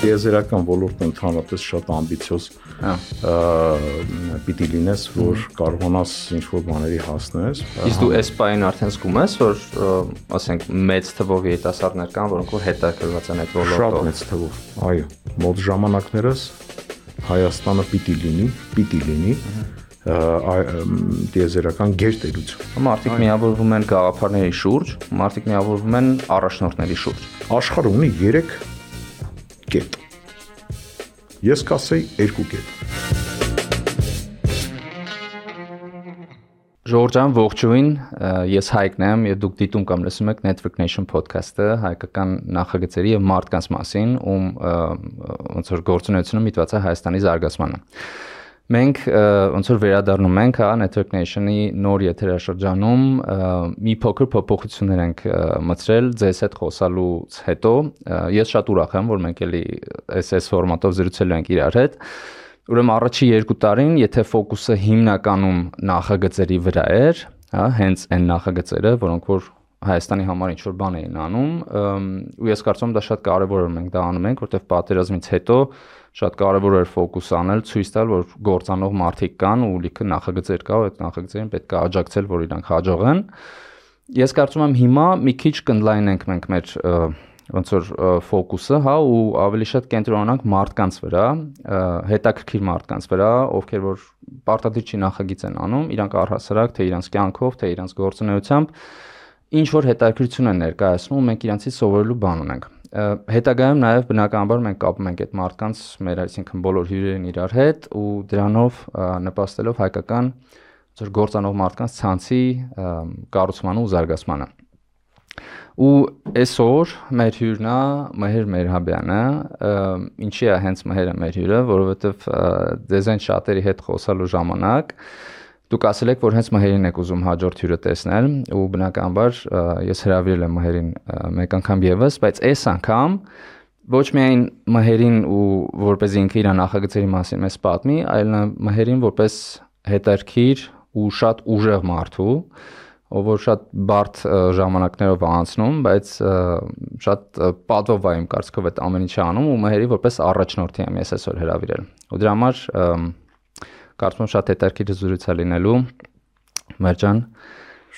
տիեզերական ոլորտը ընդհանրապես շատ ամբիցիոզ պիտի լինես, որ կարողանաս ինչ-որ բաների հասնես։ Իսկ դու այս պայն արդեն զգում ես, որ ասենք մեծ թվով երիտասարդներ կան, որոնք որ հետաքրքրված են այդ ոլորտով։ Շատ մեծ թվով, այո, մոտ ժամանակներս Հայաստանը պիտի լինի տիեզերական գերտերություն։ Մարդիկ միավորվում են գաղափարների շուրջ, մարդիկ միավորվում են առաջնորդների շուրջ։ Աշխարհը ունի 3 կետ։ Ես կասեի 2 կետ։ Ժորժ ջան, ողջույն, ես Հայկն եմ եւ դուք դիտում կամ լսում եք Network Nation podcast-ը հայկական նախագծերի եւ մարդկանց մասին, ում ոնց որ գործունեությունը միտված է Հայաստանի զարգացմանը։ Մենք ոնց որ վերադառնում ենք Network Nation-ի նոր եթերաշրջանում մի փոքր փոփոխություններ ենք մտցրել ձեզ հետ խոսալուց հետո։ Ես շատ ուրախ եմ, որ մենք էլի այս ֆորմատով զրուցելու ենք իրար հետ։ Ուրեմն առաջի 2 տարին, եթե ֆոկուսը հիմնականում նախագծերի վրա էր, հենց այն նախագծերը, որոնք որ Հայաստանի համար ինչ-որ բան էին անում, ու ես կարծում եմ դա շատ կարևոր է մենք դա անում ենք, որտեղ պատերազմից հետո շատ կարևոր էր ֆոկուս անել, ցույց տալ, որ գործանող մարդիկ կան ու լիքը նախագծեր կա, ու այդ նախագծերին պետք է աջակցել, որ իրանք հաջողեն։ Ես կարծում եմ հիմա մի քիչ կընդլայնենք մենք մեր ոնց որ ֆոկուսը, ու ավելի շատ կենտրոնանանք մարդկանց վրա, հետաքրքիր մարդկանց վրա, ովքեր որ պարտադիր չի նախագիծ են անում, իրանք առհասարակ թե իրանց կյանքով, թե իրանց գործունեությամբ ինչ որ հետաքրքրություն են ներկայացնում, մենք իրանցից սովորելու բան ունենք։ Հետագայում նաև բնականաբար մենք կապում ենք այդ մարդկանց մեր այսինքն բոլոր հյուրերին իրար հետ ու դրանով նպաստելով հայկական ոնց որ գործանող մարդկանց ցանցի կառուցմանը ու զարգացմանը։ Ու այսօր մեր հյուրն է Մհեր Մերհաբյանը, ինչի է հենց Մհերը մեր հյուրը, որովհետև ձեզ այն շատերի հետ խոսալու ժամանակ դուք ասել եք, որ հենց Մհերին եք ուզում հաջորդ հյուրը տեսնել, ու բնականաբար ես հրավիրել եմ Մհերին մեկ անգամ եւս, բայց այս անգամ ոչ միայն Մհերին ու որպես ինքը իր նախագծերի մասին մեզ պատմի, այլ Մհերին որպես հետաքրքիր ու շատ ուժեղ մարդու, ով որ շատ բարդ ժամանակներով անցնում, բայց շատ պատվով է իմ կարծիքով այդ ամեն ինչը անում ու Մհերի որպես առաջնորդի եմ ես այսօր հրավիրել։ Ու դրա համար կարծում եմ շատ հետաքրքիր զրույց է լինելու։ Մհեր ջան,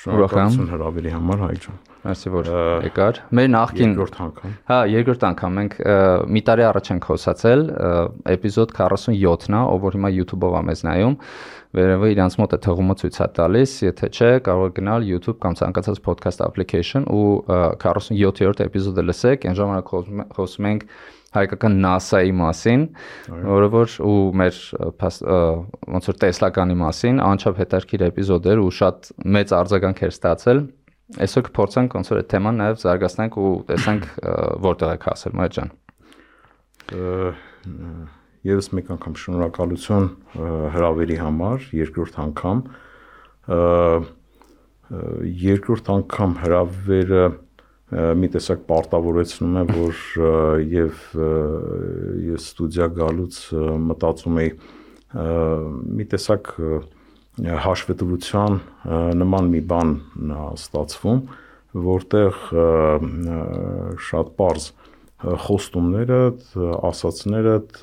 շնորհակալություն հրավերի համար, Հայկ ջան։ Մերսի որ եկար։ Մեր նախկին երկրորդ անգամ մենք մի տարի առաջ ենք խոսացել, էպիզոդ 47-ն է, ով որ հիմա YouTube-ով է մեզ նայում, վերևը իրանց մոտ է թղումը ցույց է տալիս, եթե չէ, կարող եք գնալ YouTube կամ ցանկացած podcast application ու 47-րդ էպիզոդը լսեք, այն ժամանակ խոսում ենք հայկական NASA-ի մասին, որը որ ու մեր ոնց որ տեսլականի մասին, անչափ հետաքրքիր էպիզոդ էր ու շատ մեծ արձագանք էր ստացել։ Այսօր կփորձենք ոնց որ այդ թեման նաև զարգացնենք ու տեսանք որտեղ եք հասել, Մհեր ջան։ Եվս մեկ անգամ շնորհակալություն հրավերի համար, երկրորդ անգամ։ Երկրորդ անգամ հրավերը մի տեսակ պարտավորեցնում է, որ եւ ես ստուդիա գալուց մտածում էի մի տեսակ հաշվետվության նման մի բան ստացվում, որտեղ շատ པարզ խոստումներդ, ասացներդ,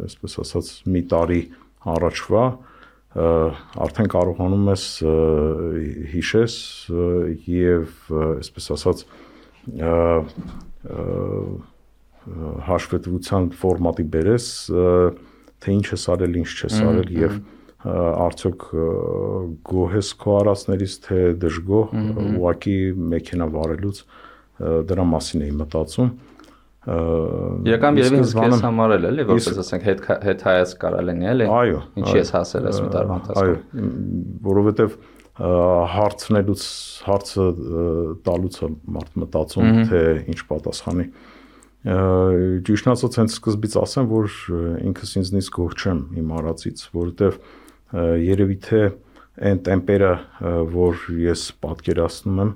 այսպես ասած, մի տարի առաջվա արդեն կարողանում ես հիշես եւ այսպես ասած հաշվետվության ֆորմատի բերես, թե ինչ ես արել, ինչ չես արել եւ արդյոք գոհ ես քո արածներից, թե դժգոհ, ուղղակի մեքենա վարելուց դրա մասին էի մտածում։ Իրական երևի հենց համար էլի, որպես ասենք հետ հայաց կարա լինի, էլի։ Ինչի ես հասել այս մի տարվա ընթացքում։ Այո, որովհետև հարցը տալուց է մարդ մտածում, թե ինչ պատասխանի։ Ճիշտն ասած, հենց սկզբից ասեմ, որ ինքս ինձնից գոհ չեմ իմ արածից, որովհետև երևի թե այն տեմպերը, որ ես պատկերացնում եմ,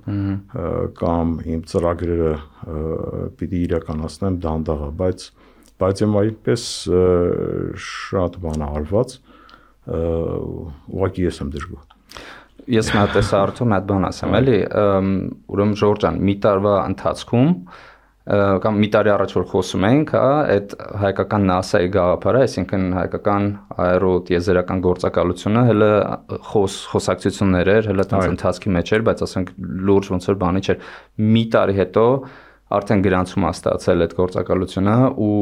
կամ իմ ծրագրերը պիտի իրականացնեմ դանդաղ է, բայց եմ այդպես շատ բան արված, ուղղակի ես եմ դժգոհ։ Ես մի հատ արդյոք մի հատ բան ասեմ, էլի, ուրեմն Ժորժ ջան, մի տարվա ընթացքում կամ մի տարի առաջ որ խոսում ենք, հա, այդ հայկական NASA-ի գաղափարը, այսինքն հայկական աերոտիեզերական գործակալությունը հələ խոսակցություններ էր, հələ տենց ընթացքի մեջ էր, բայց ասենք լուրջ ոնց որ բանի չէր։ Մի տարի հետո արդեն գրանցում է ստացել այդ գործակալությունը ու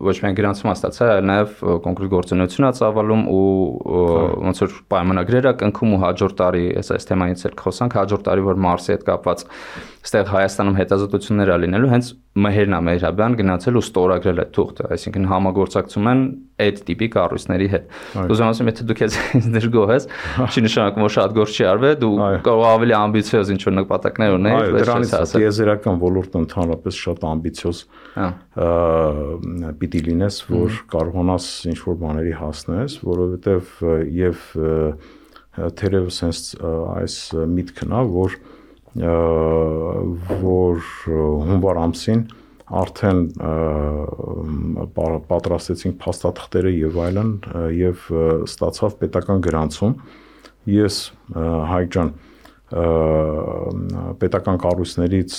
ոչ միայն գրանցում է ստացել, այլ նաև կոնկրետ գործունեություն է ծավալում ու ոնց որ պայմանագրեր է կնքում ու հաջորդ տարի, այս թեմայից էլ խոսանք, հաջորդ տարի որ Մարսի հետ կապված այստեղ Հայաստանում հետազոտություններ է լինելու, հենց Մեհերնա Մեհրաբյան գնացել ու ստորագրել այդ թուղթը, այսինքն համագործակցում են այդ տիպի կառույցների հետ։ Ուզում ասեմ, եթե դուք դեր գոհես, չի նշանակում որ շատ գործ չի արվել, դու կարող ավելի ամբիցիոզ ինչ-որ նպատակներ ունես, դրանից տիեզերական ոլորտը ընդհանրապես շատ ամբիցիոզ պիտի լինես, որ կարողանաս ինչ-որ բաների հասնես, որովհետև եւ թերևս հենց այս միտքն է, որ հունվար ամսին արդեն պատրաստեցինք փաստաթղթերը եւ այլն եւ ստացավ պետական գրանցում։ Ես Հայկ ջան պետական կառույցներից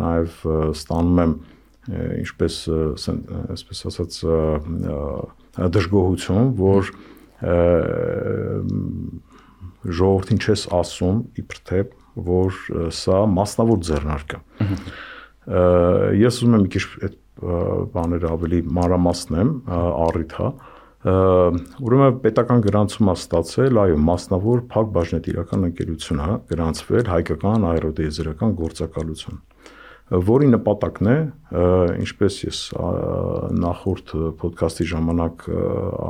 նաեւ ստանում եմ ինչպես այսպես ասած դժգոհություն, որ ժողովրդին չես ասում իբր թե որ սա մասնավոր ձեռնարկ է։ Ես ուզում եմ մի քիչ այդ բաները ավելի մանրամասնեմ, առիթ հա։ Ուրեմն պետական գրանցում է ստացել, այո, մասնավոր փակ բաժնետիրական ընկերություն է գրանցվել հայկական աերոտիեզերական գործակալություն, որի նպատակն է, ինչպես ես նախորդ ոդքասթի ժամանակ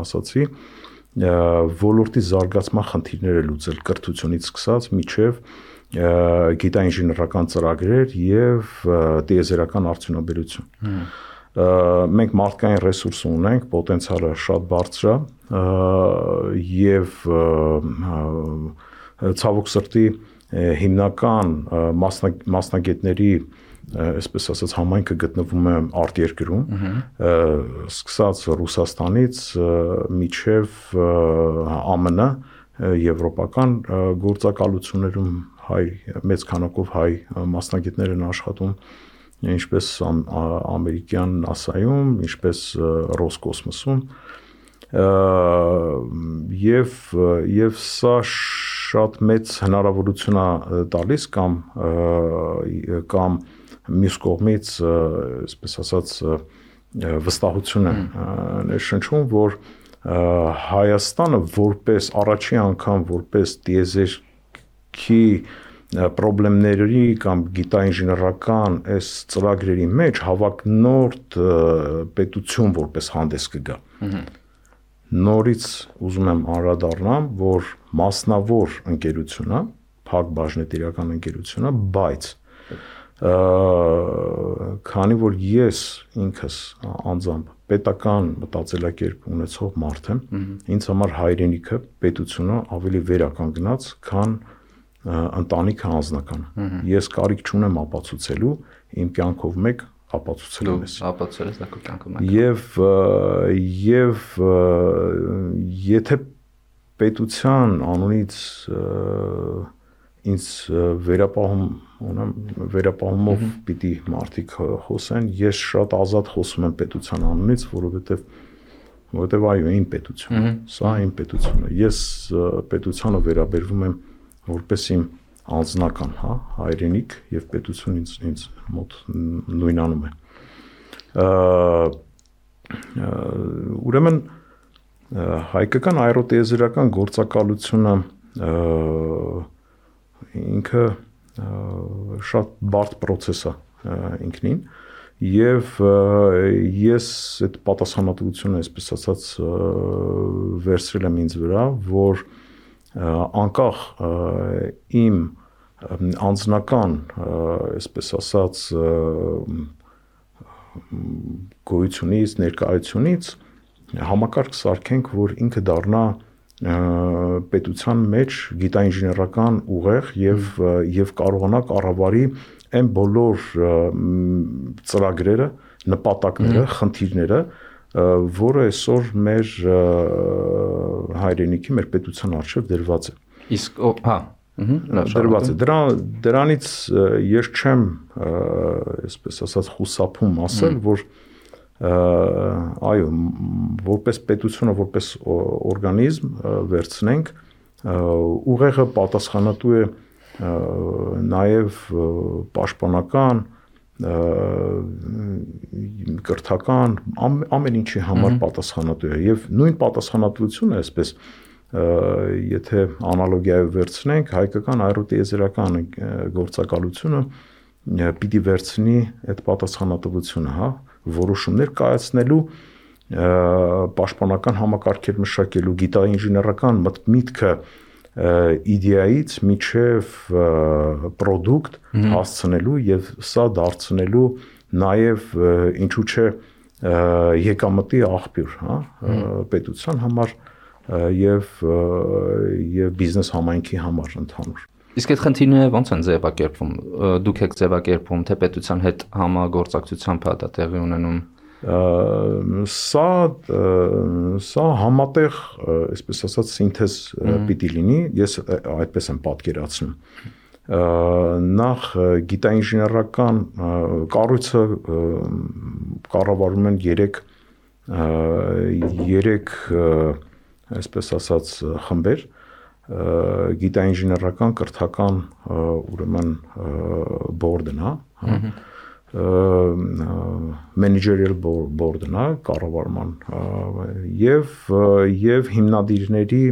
ասացի, ոլորտի զարգացման խնդիրները լուծել կրթությունից սկսած մինչև գիտաինժեներական ծրագրեր եւ տիեզերական արդյունաբերություն։ Մենք մարդկային ռեսուրս ունենք, պոտենցիալը շատ բարձր է եւ ցավոք սրտի հիմնական մասնագետների այսպես ասած համայնքը գտնվում է արտերկրում, սկսած Ռուսաստանից մինչև ԱՄՆ, եվրոպական գործակալություններում հայ մեծ քանակով հայ մասնագետներ են աշխատում, ինչպես ամերիկյան NASA-ում, ինչպես Ռոսկոսմոսում, եւ սա շատ մեծ հնարավորություն է տալիս կամ մյուս կողմից, այսպես ասած, վստահություն է ներշնչում, որ Հայաստանը որպես առաջին անգամ որպես տիեզերքի պրոբլեմների կամ գիտաինժեներական այս ծրագրերի մեջ հավակնորդ պետություն որպես հանդես կգա։ Նորից ուզում եմ անդրադառնամ, որ մասնավոր ընկերությունը, փակ բաժնետիրական ընկերությունը, բայց քանի որ ես ինքս անձամբ պետական մտածելակերպ ունեցող մարդ եմ, ինձ համար հայրենիքը, պետությունը ավելի վերականգնած, քան ընտանիքը անձնականը։ Ես կարիք չունեմ ապացուցելու, իմ կյանքով մեկ ապացուցել ես։ Ապացուցել ես դա քո կյանքում մեկ։ Եվ եթե պետության անունից ինձ վերապահումով պիտի մարդիկ խոսեն, ես շատ ազատ խոսում եմ պետության անունից, որովհետև այո, իմ պետությունը, սա իմ պետությունը։ Ես պետությանը վերաբերվում եմ որպես իմ անձնական, հա, հայրենիք եւ պետություն ինձ մոտ նույնանում է։ Ուրեմն հայկական աերոտիեզերական գործակալությունը ինքը շատ բարդ process է ինքնին եւ ես այդ պատասխանատվությունը, այսպես ասած, վերցրել եմ ինձ վրա, որ անկախ իմ անձնական, այսպես ասած, գոյությունից, ներկայությունից համակարգ սարքենք, որ ինքը դառնա պետության մեջ գիտաինժեներական ուղեղ եւ կարողանա կառավարի այն բոլոր ծրագրերը, նպատակները, խնդիրները, որը այսօր մեր հայրենիքի, մեր պետության առջև դրված է։ Իսկ հա, դրված է։ Դրանից ես չեմ, այսպես ասած, խուսափում ասել, որ այո, որպես պետությունը, որպես օրգանիզմ վերցնենք, ուղեղը պատասխանատու է նաև պաշտպանական, կրթական, ամեն ինչի համար պատասխանատու է եւ նույն պատասխանատվությունը, այսպես եթե անալոգիայով վերցնենք, հայկական աերոտիեզերական գործակալությունը պիտի վերցնի այդ պատասխանատվությունը, հա, որոշումներ կայացնելու, պաշտպանական համակարգեր մշակելու, գիտաինժեներական միտքը իդեայից միջև պրոդուկտ հասցնելու եւ սա դարձնելու նաեւ ինչու՞ չէ եկամտի աղբյուր, հա, պետության համար եւ բիզնես համայնքի համար ընդհանուր։ Իսկ այդ խնդիրները ո՞նց են ձևակերպվում։ Դուք եք ձևակերպում, թե պետության հետ համագործակցությամբ դա տեղի ունենում։ Սա համատեղ, այսպես ասած, սինթեզ պիտի լինի, ես այդպես եմ պատկերացնում։ Նախ գիտաինժեներական կառույցը կառավարում են 3 այսպես ասած խմբեր, գիտաինժեներական, կրթական, ուրեմն բորդն, հա, managerial board-ն է կառավարման եւ հիմնադիրների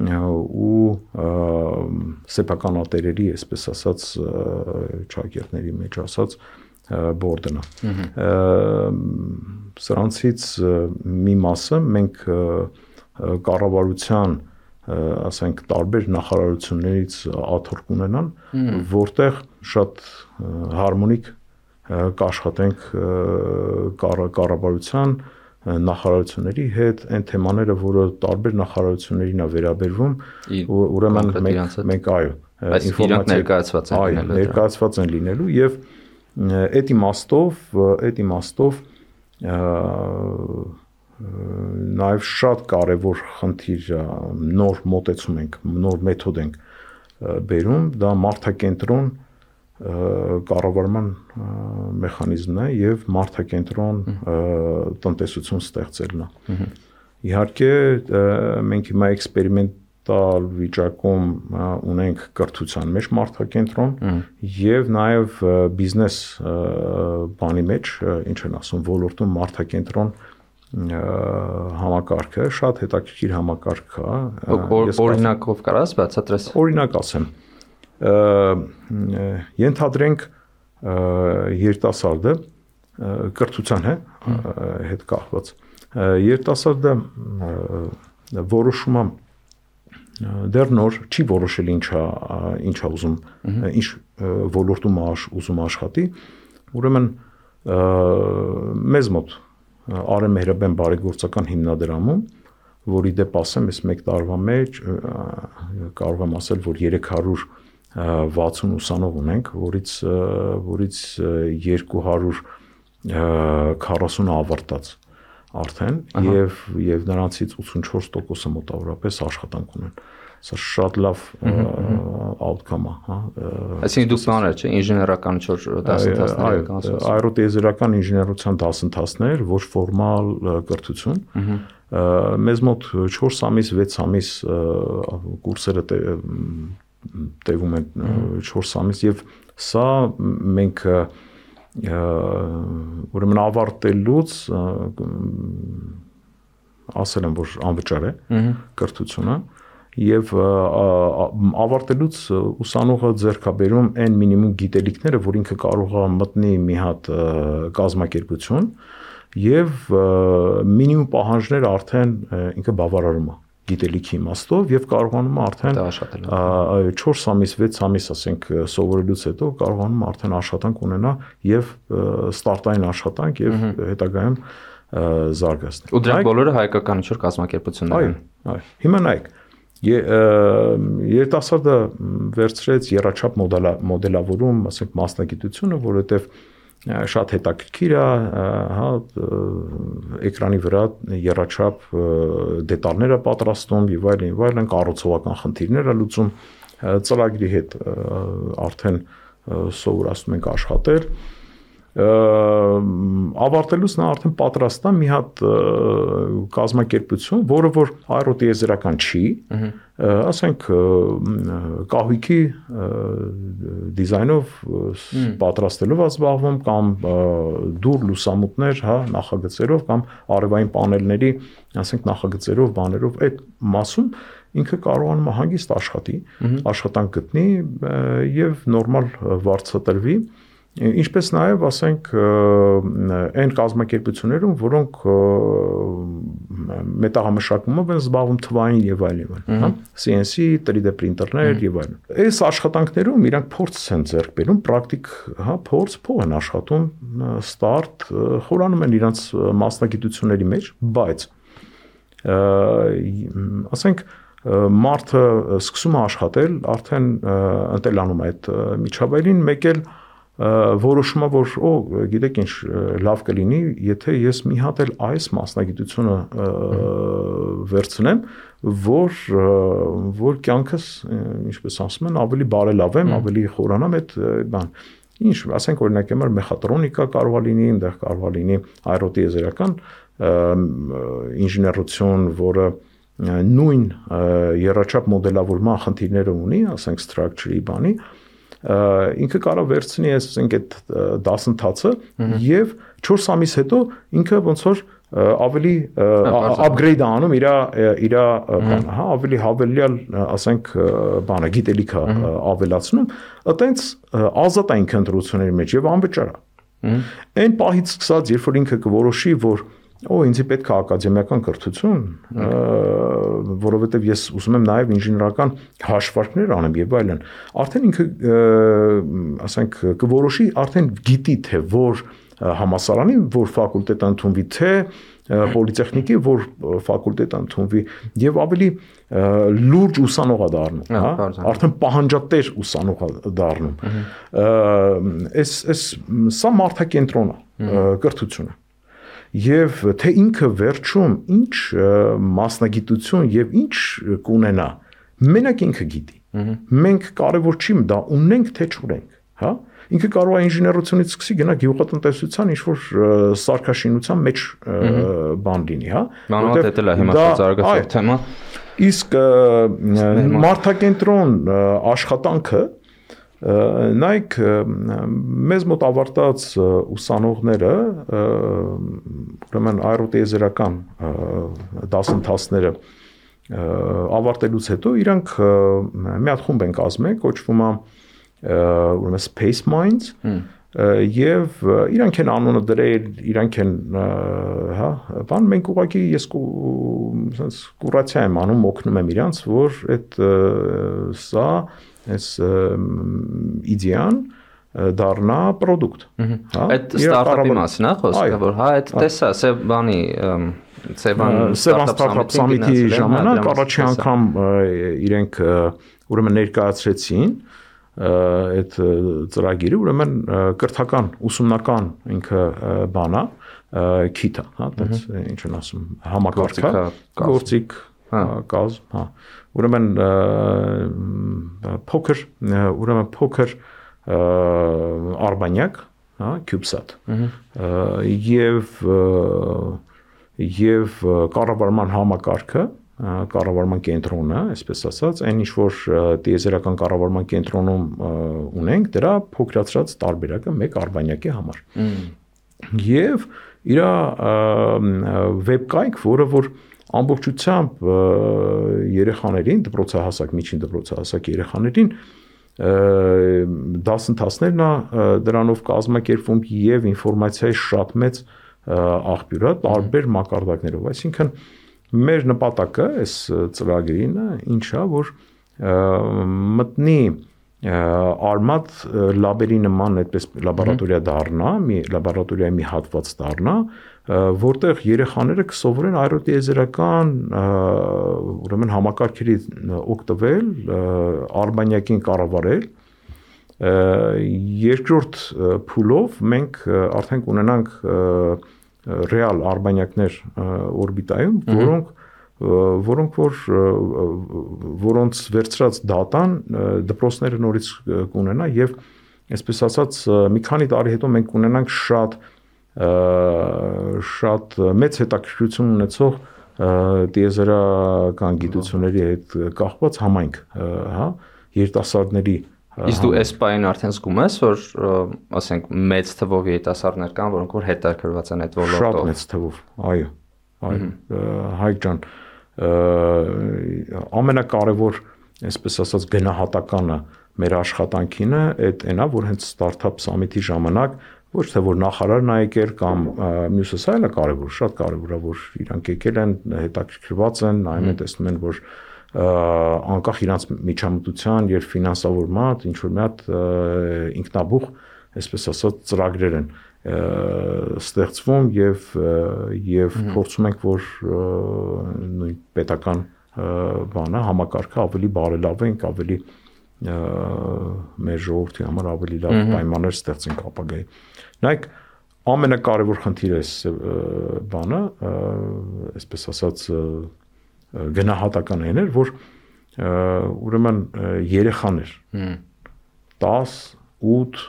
ու սեփականատերերի, այսպես ասած, ճակերտների մեջ ասած board-ն է։ Սրանցից մի մասը մենք կառավարության, ասենք, տարբեր նախարարություններից աթոռ կունենան, որտեղ շատ հարմոնիկ կաշխատենք կառավարության նախարարությունների հետ այն թեմաները, որը տարբեր նախարարություններին է վերաբերվում, ուրեմն մենք այո, ինֆորմացիա ներկայացված են լինելու եւ այդ իմաստով նաեւ շատ կարեւոր խնդիր նոր մոտեցում ենք, նոր մեթոդ ենք բերում, դա մարդակենտրոն կառավարման մեխանիզմն է եւ մարդակենտրոն տնտեսություն ստեղծելն է։ Իհարկե մենք հիմա էքսպերիմենտալ վիճակում ունենք կրթության մեջ մարդակենտրոն եւ նաեւ բիզնես բանի մեջ, ինչ են ասում, ոլորտում մարդակենտրոն համակարգը շատ հետաքրքիր համակարգ է։ Օրինակով կարաս բացատրես։ Օրինակ ասեմ, ենթադրենք երիտասարդը կրթության հետ կախված, երիտասարդը որոշում է դեռ նոր չի որոշել ինչա ուզում, ինչ ոլորտում ուզում աշխատի, ուրեմն մեզ մոտ Արեմ Մեհրաբյան բարեգործական հիմնադրամում, որի դեպ ասեմ, ես մեկ տարվա մեջ կարող եմ ասել, որ 360 ուսանող ունենք, որից 240 ավարտած արդեն եւ նրանցից 84%-ը մոտավորապես աշխատանք ունեն։ Սա շատ լավ outcome է, հա։ Այսինքն դուք բաներ, չէ, ինժեներական 4 դասընթացներ կանցնում։ Աերոտիեզերական ինժեներության դասընթացներ, ոչ ֆորմալ կրթություն։ Մեզ մոտ 4 ամիս, 6 ամիս կուրսերը տևում են 4 ամիս եւ սա մենք ուրեմն ավարտելուց ասել եմ, որ անվճար է կրթությունը եւ ավարտելուց ուսանողը ձեռքաբերում այն մինիմում գիտելիքները, որ ինքը կարող է մտնի մի հատ կազմակերպություն եւ մինիմում պահանջները արդեն ինքը բավարարում է գիտելիքի իմաստով եւ կարողանում է արդեն 4 ամիս, 6 ամիս, ասենք, սովորելուց հետո կարողանում է արդեն աշխատանք ունենա եւ ստարտային աշխատանք եւ հետագայում զարգացնել։ Ու դրանք բոլորը հայկական ինչ-որ կազմակերպություններ են։ Այո։ Հիմա նայեք, երիտասարդը վերցրեց եռաչափ մոդելավորում, ասենք, մասնագիտությունը, որովհետեւ շատ հետաքրքիր է, հա, էկրանի վրա եռաչափ դետալներ է պատրաստում եւ այլն, կառուցողական խնդիրներ է լուծում, ծրագրի հետ արդեն սովորացնում ենք աշխատել ավարտելուց նա արդեն պատրաստ է մի հատ կազմակերպություն, որը որ այրոտիեզերական չի, ասենք կահույքի դիզայնով պատրաստելով զբաղվում կամ դուր լուսամուտներ, հա, նախագծերով կամ արևային պանելների, ասենք նախագծերով, բաներով այդ մասում ինքը կարողանում է հանգիստ աշխատի, աշխատանք գտնի եւ նորմալ վարձատրվի Ինչպես նաև, ասենք, այն կազմակերպություններում, որոնք մետաղամշակումով են զբաղվում թվային եւ այլն, հա, CNC, 3D պրինտերներ եւ այլն։ Այս աշխատանքներում իրանք փորձ են ձեռք բերում, պրակտիկ, հա, փող են աշխատում, ստարտ, խորանում են իրանք մասնագիտությունների մեջ, բայց ասենք մարդը սկսում է աշխատել, արդեն ընտելանում այդ միջավայրին, մեկ էլ որոշումը որ գիտեք ինչ լավ կլինի եթե ես մի հատ էլ այս մասնագիտությունը վերցնեմ որ կյանքս ինչպես ասում են ավելի բարելավեմ ավելի խորանամ այդ բան ինչ ասենք օրինակ համար մեխատրոնիկա կարող է լինի այնտեղ կարող է լինի այրոտիեզերական ինժեներություն որը նույն երաչափ մոդելավորման խնդիրները ունի ասենք structure-ի բանի ինքը կարող վերցնի ասենք այդ դասընթացը եւ 4 ամիս հետո ինքը ոնց որ ավելի upgrade անում իր բանը, հա, ավելի հավելյալ, ասենք, բանը գիտելիքը ավելացնում, այտենց ազատ է ինքը ընտրությունների մեջ եւ անվճար է։ Այն պահից սկսած, երբ որ ինքը կորոշի, որ ինձ պետք է ակադեմիական կրթություն, որովհետև ես ուզում եմ նաև ինժեներական հաշվարկներ անեմ եւ այլն։ Արդեն ինքը, ասենք, կորոշի, արդեն գիտի թե որ համալսարանի, որ ֆակուլտետ ընդունվի, թե պոլիտեխնիկի, որ ֆակուլտետ ընդունվի եւ ավելի լուրջ ուսանող է դառնում, հա, արդեն պահանջատեր ուսանող է դառնում։ Սա մարդակենտրոն է կրթությունը։ Եվ թե ինքը վերջում ինչ մասնագիտություն եւ ինչ կունենա, մենակ ինքը գիտի։ Մենք կարևոր չի դա ունենք թե չունենք, հա։ Ինքը կարող է ինժեներությունից սկսի գնա գյուղատնտեսության ինչ-որ սարքաշինության մեջ բան լինի, հա։ Որովհետեւ դա հիմա զարգացող թեմա։ Իսկ մարդակենտրոն աշխատանքը նայեք մեզ մոտ ավարտած ուսանողները ուրեմն այրոտիեզերական դասընթացները ավարտելուց հետո իրանք մի հատ խումբ են կազմել կոչվում է ուրեմն Space Minds եւ իրանք են անունը դրել իրանք են հա բան մենք ուղղակի ես sense կուրացիա եմ անում օգնում եմ իրանց որ այդ սա այս իդեան դառնա product, հա։ Այդ ստարտափի մասին է խոսքը, որ հա այդ տեսա Սևանի Սևան ստարտափ սամիթի ժամանակ առաջի անգամ իրենք ուրեմն ներկայացրեցին այդ ծրագիրը, ուրեմն կրթական, ուսումնական ինքը բանա, քիթա, հա, դից ինչ են ասում, համակարգա, գործիք, կազմ, հա։ Ուրեմն փոքր արբանյակ, հա, CubeSat։ Եվ կառավարման համակարգը, կառավարման կենտրոնը, այսպես ասած, այն ինչ որ տիեզերական կառավարման կենտրոնում ունենք, դրա փոքրացած տարբերակը մեկ արբանյակի համար։ Եվ իր վեբկայք, որը որ ամբողջությամբ երեխաներին, դպրոցահասակ, միջին դպրոցահասակ երեխաներին դասընթացներն դրանով կազմակերպվում եւ ինֆորմացիայի շատ մեծ աղբյուր է տարբեր մակարդակներով, այսինքն մեր նպատակը այս ծրագրին ինչա որ մտնի արմատ լաբերի նման այդպես լաբորատորիա դառնա, մի լաբորատորիայի մի հատված դառնա, որտեղ երեխաները կսովորեն այրոտիեզերական ուրեմն համակարգերի օգտվել, արբանյակին կառավարել, երկրորդ փուլով մենք արդեն կունենանք ռեալ արբանյակներ օրբիտայում, որոնք որոնք որոնց վերցրած դատան դպրոցները նորից կունենա եւ այսպես ասած մի քանի տարի հետո մենք կունենանք շատ մեծ հետաքրքրություն ունեցող տիեզերական գիտությունների հետ կապված համայնք, հա, երիտասարդների Իսկ դու այս պայն արդեն զգում ես, որ ասենք մեծ թվով երիտասարդներ կան, որոնք որ հետաքրքրված են այդ ոլորտով։ Շատ մեծ թվով, այո, Հայկ ջան, ամենակարևոր, այսպես ասած, գնահատականը մեր աշխատանքին այդ այնա, որ հենց Startup Summit-ի ժամանակ ոչ թե որ նախարարն է եկել կամ մյուսը, սա էլ է կարևոր, շատ կարևոր է, որ իրանք եկել են, հետաքրքրված են, նայում են, տեսնում են, որ անկախ իրանց միջամտության եւ ֆինանսավորման ինչ որ մի հատ ինքնաբուխ, այսպես ասած, ծրագրեր են ստեղծվում եւ փորձում ենք, որ նույն պետական բանը համակարգը ավելի բարելավենք, ավելի մեր ժողովրդի համար ավելի լավ պայմաններ ստեղծենք ապագայի։ Նայեք, ամենակարևոր խնդիրը է բանը, այսպես ասած գնահատական էր, որ ուրեմն երեխաներ 10, 8,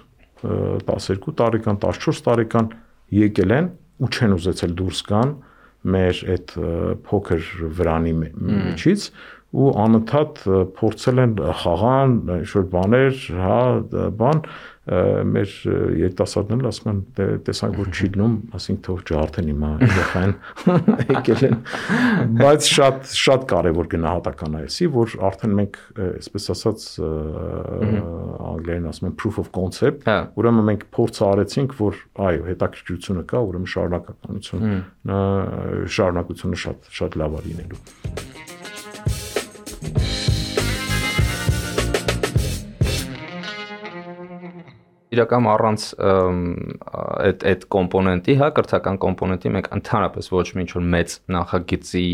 12 տարեկան, 14 տարեկան եկել են ու չեն ուզեցել դուրս գան մեր այդ փոքր վրանի միջից ու անընդհատ փորձել են խաղան, ինչ-որ բաներ, հա, բան, մեր երիտասարդներն ասում են, տեսանք, որ չի լինում, ասենք թող ջարդեն հիմա երեխան եկել են, բայց շատ կարևոր գնահատական է էսի, որ արդեն մենք, այսպես ասած, անգլերեն ասում են proof of concept, ուրեմն մենք փորձը արեցինք, որ այո, հետաքրքրությունը կա, ուրեմն շարունակությունը շատ լավ է լինելու։ Իրական առանց այդ կոմպոնենտի, հա, կրթական կոմպոնենտի մենք ընդհանրապես ոչ մի ինչ-որ մեծ նախագծի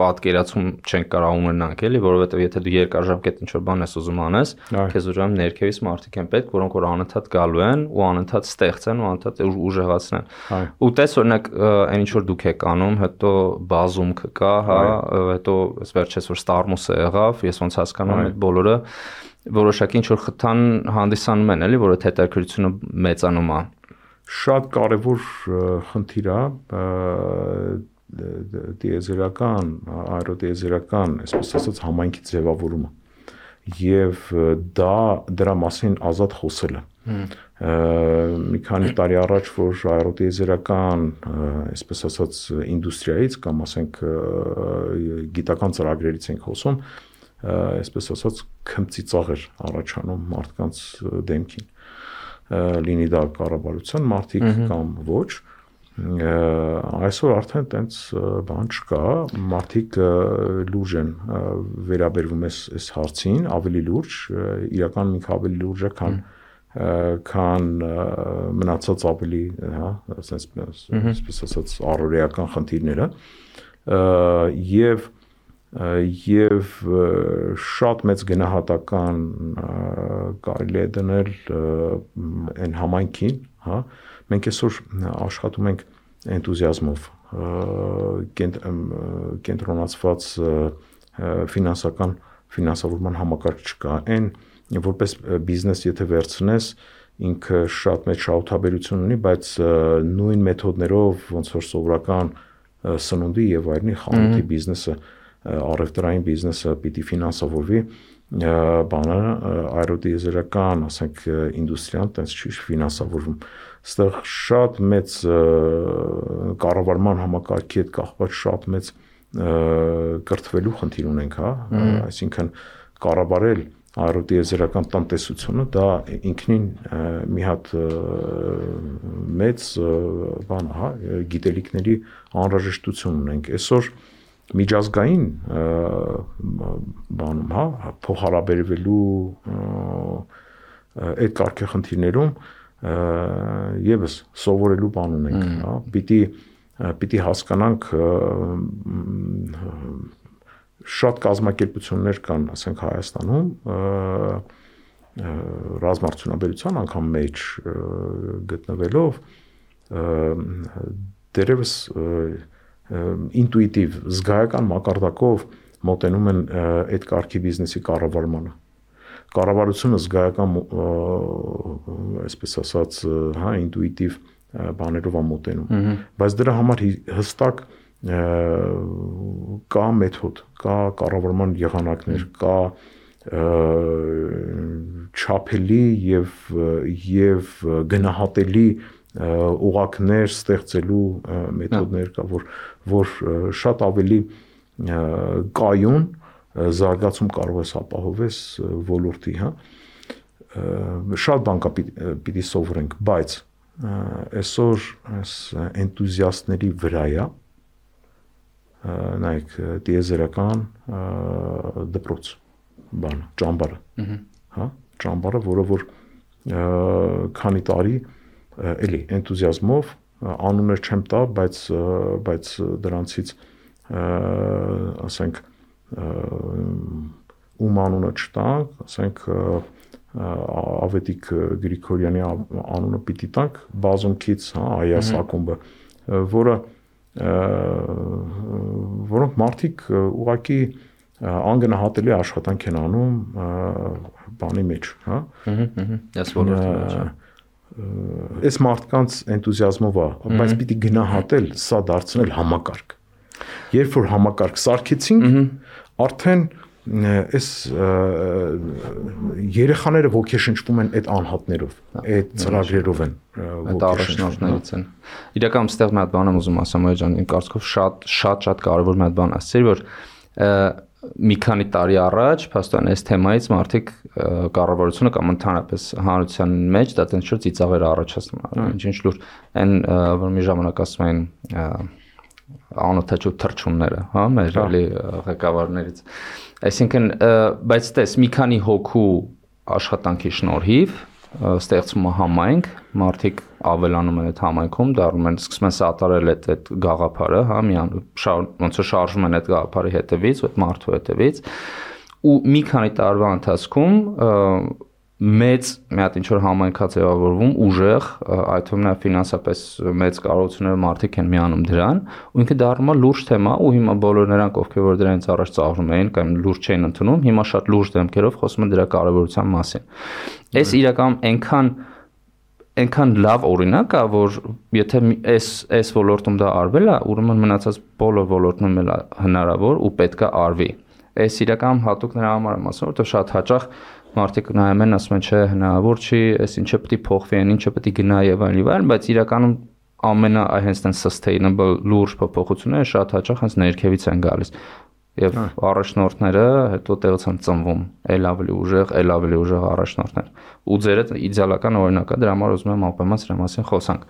պատկերացում չենք կարող ունենանք, էլի, որովհետև եթե դու երկարաժամկետ ինչ-որ բան ես ուզում անես, քեզ ուրեմն ներքևից մարդիկ են պետք, որոնք որ անընդհատ գալու են ու անընդհատ ստեղծեն ու անընդհատ ուժեղացնեն։ Ու տես օրինակ այն ինչ որ դուք եք անում, հետո բազում կա, հա, հետո վերջերս որ Starmus-ը եղավ, ես ոնց հասկանում եմ այդ բոլորը որոշակի ինչ որ խթան հանդիսանում են, էլի, որ այդ հետաքրքրությունը մեծանում է։ Շատ կարևոր խնդիր է տիեզերական, աերոտիեզերական, այսպես ասած, համայնքի ձևավորումը եւ դրա մասին ազատ խոսելը։ Մի քանի տարի առաջ, որ աերոտիեզերական, այսպես ասած, ինդուստրիայից կամ ասենք գիտական ծրագրերից ենք խոսում, այսպես ասած քմծիծաղ էր առաջանում մարդկանց դեմքին, լինի դա կառավարության մարդիկ կամ ոչ, այսօր արդեն տենց բան չկա, մարդիկ լուրջ են վերաբերվում այս հարցին, ավելի լուրջ, իրական ինքը ավելի լուրջ է, քան մնացած ավելի, հա, այսպես ասած առօրեական խնդիրները, եւ շատ մեծ գնահատական կարելի է դնել այն համայնքին, հա, մենք այսօր աշխատում ենք էնտուզիազմով, կենտրոնացված ֆինանսավորման համակարգ չկա, այն որպես բիզնես եթե վերցնես, ինքը շատ մեծ շահութաբերություն ունի, բայց նույն մեթոդներով ոնց որ սովորական սնունդի եւ այլնի խանութի բիզնեսը առևտրային բիզնեսը պիտի ֆինանսավորվի, բանը աերոտիեզերական, ասենք ինդուստրիան տենց չի ֆինանսավորվում։ Այստեղ շատ մեծ կառավարման համակարգի հետ կապված շատ մեծ կրթվելու խնդիր ունենք, հա, այսինքն կառավարել աերոտիեզերական տնտեսությունը դա ինքնին մի հատ մեծ բան, հա, գիտելիքների անհրաժեշտություն ունենք։ Այսօր միջազգային բանում, հա, փոխհարաբերվելու այդ կարգի խնդիրներում եւս սովորելու բան ունենք, հա, պիտի հասկանանք շատ կազմակերպություններ կան, ասենք Հայաստանում, ռազմարդյունաբերության անգամ մեջ գտնվելով, դերևս ինտուիտիվ զգայական մակարդակով մոտենում են այդ կարգի բիզնեսի կառավարմանը։ Կառավարությունը զգայական այսպես ասած, հա, ինտուիտիվ բաներով է մոտենում, բայց դրա համար հստակ կա մեթոդ, կա կառավարման եղանակներ, կա չափելի եւ գնահատելի ուղղակներ ստեղծելու մեթոդներ կա, որ շատ ավելի կայուն զարգացում կարող ես ապահովես ոլորտի, հա։ Շատ բան կա պիտի սովորենք, բայց այսօր այս էնտուզիաստների վրայա նայեք տիեզերական դպրոց բանը, ճամբարը, հա, ճամբարը, որը որ քանի տարի էլի էնտուզիազմով անուններ չեմ տա, բայց դրանցից ասենք ում անունը չտանք, ասենք Ավետիք Գրիգորյանի անունը պիտի տանք, բազումքից, հա, Այաս ակումբը, որոնք մարդիկ ուղղակի անգնահատելի աշխատանք են անում բանի մեջ, հա։ Ես ոլորտի մեջ։ Այս մարդկանց էնտուզիազմով է, բայց պիտի գնահատել, սա դարձնել համակարգ։ Երբ որ համակարգ սարքեցինք, արդեն այս երեխաները ոգեշնչվում են այդ անհատներով, այդ ծրագրերով են այդ առաջնորդներից են։ Իրականում այստեղ մի հատ բան եմ ուզում ասեմ, այ ջան, իմ կարծիքով շատ կարևոր մի հատ բան ասեցիր, որ մի քանի տարի առաջ, փաստորեն այս թեմայից մարդիկ կառավարությունը կամ ընդհանրապես հանրության մեջ դա տենց շուտ ծիծաղեր առաջացնում, ինչ լուր այն որ մի ժամանակ ասում էին անօթաչու թռչունները, հա, մեր էլի ղեկավարներից։ Այսինքն, բայց տես մի քանի հոգու աշխատանքի շնորհիվ ստեղծվում է համայնք, մարդիկ ավելանում են այդ համայնքում, դառնում են, սկսում են սատարել այդ գաղափարը, հա, ոնց որ շարժում են այդ գաղափարի հետևից, այդ մարդու հետևից, ու մի քանի տարվա ընթացքում մեծ մի հատ ինչ որ համայնք է ձևավորվում, ուժեղ, այդ թվում նաև ֆինանսապես մեծ կարողությունները մարդիկ են միանում դրան, ու ինքը դառնում է լուրջ թեմա, ու հիմա բոլոր նրանք, ովքեր որ դրանից առաջ ծաղրում էին կամ լուրջ չէին ընդունում, հիմա շատ լուրջ դեմքերով խոսում են դրա կարևորության մասին։ Այս իրականում այնքան լավ օրինակ է, որ եթե այս ոլորտում դա արվել է, ուրեմն մնացած բոլոր ոլորտներում էլ հնարավոր ու պետք է արվի։ Այս իրականում հատուկ նրա համար եմ ասում, որովհետև շատ հաճախ մարդիկ նայում են, ասում են, չէ, հնարավոր չի, այս ինչը պետք է փոխվի, ինչը պետք է գնա եւ այլն, բայց իրականում հենց այն sustainable լուրջ փոփոխությունները շատ հաճախ հենց ներքևից են գալիս։ Եվ առաջնորդները հետո տեղից են ծնվում, ել ավելի ուժեղ առաջնորդներ։ Ու ձերը իդեալական օրինակ է, դրա համար ուզում եմ ապայման սրա մասին խոսանք։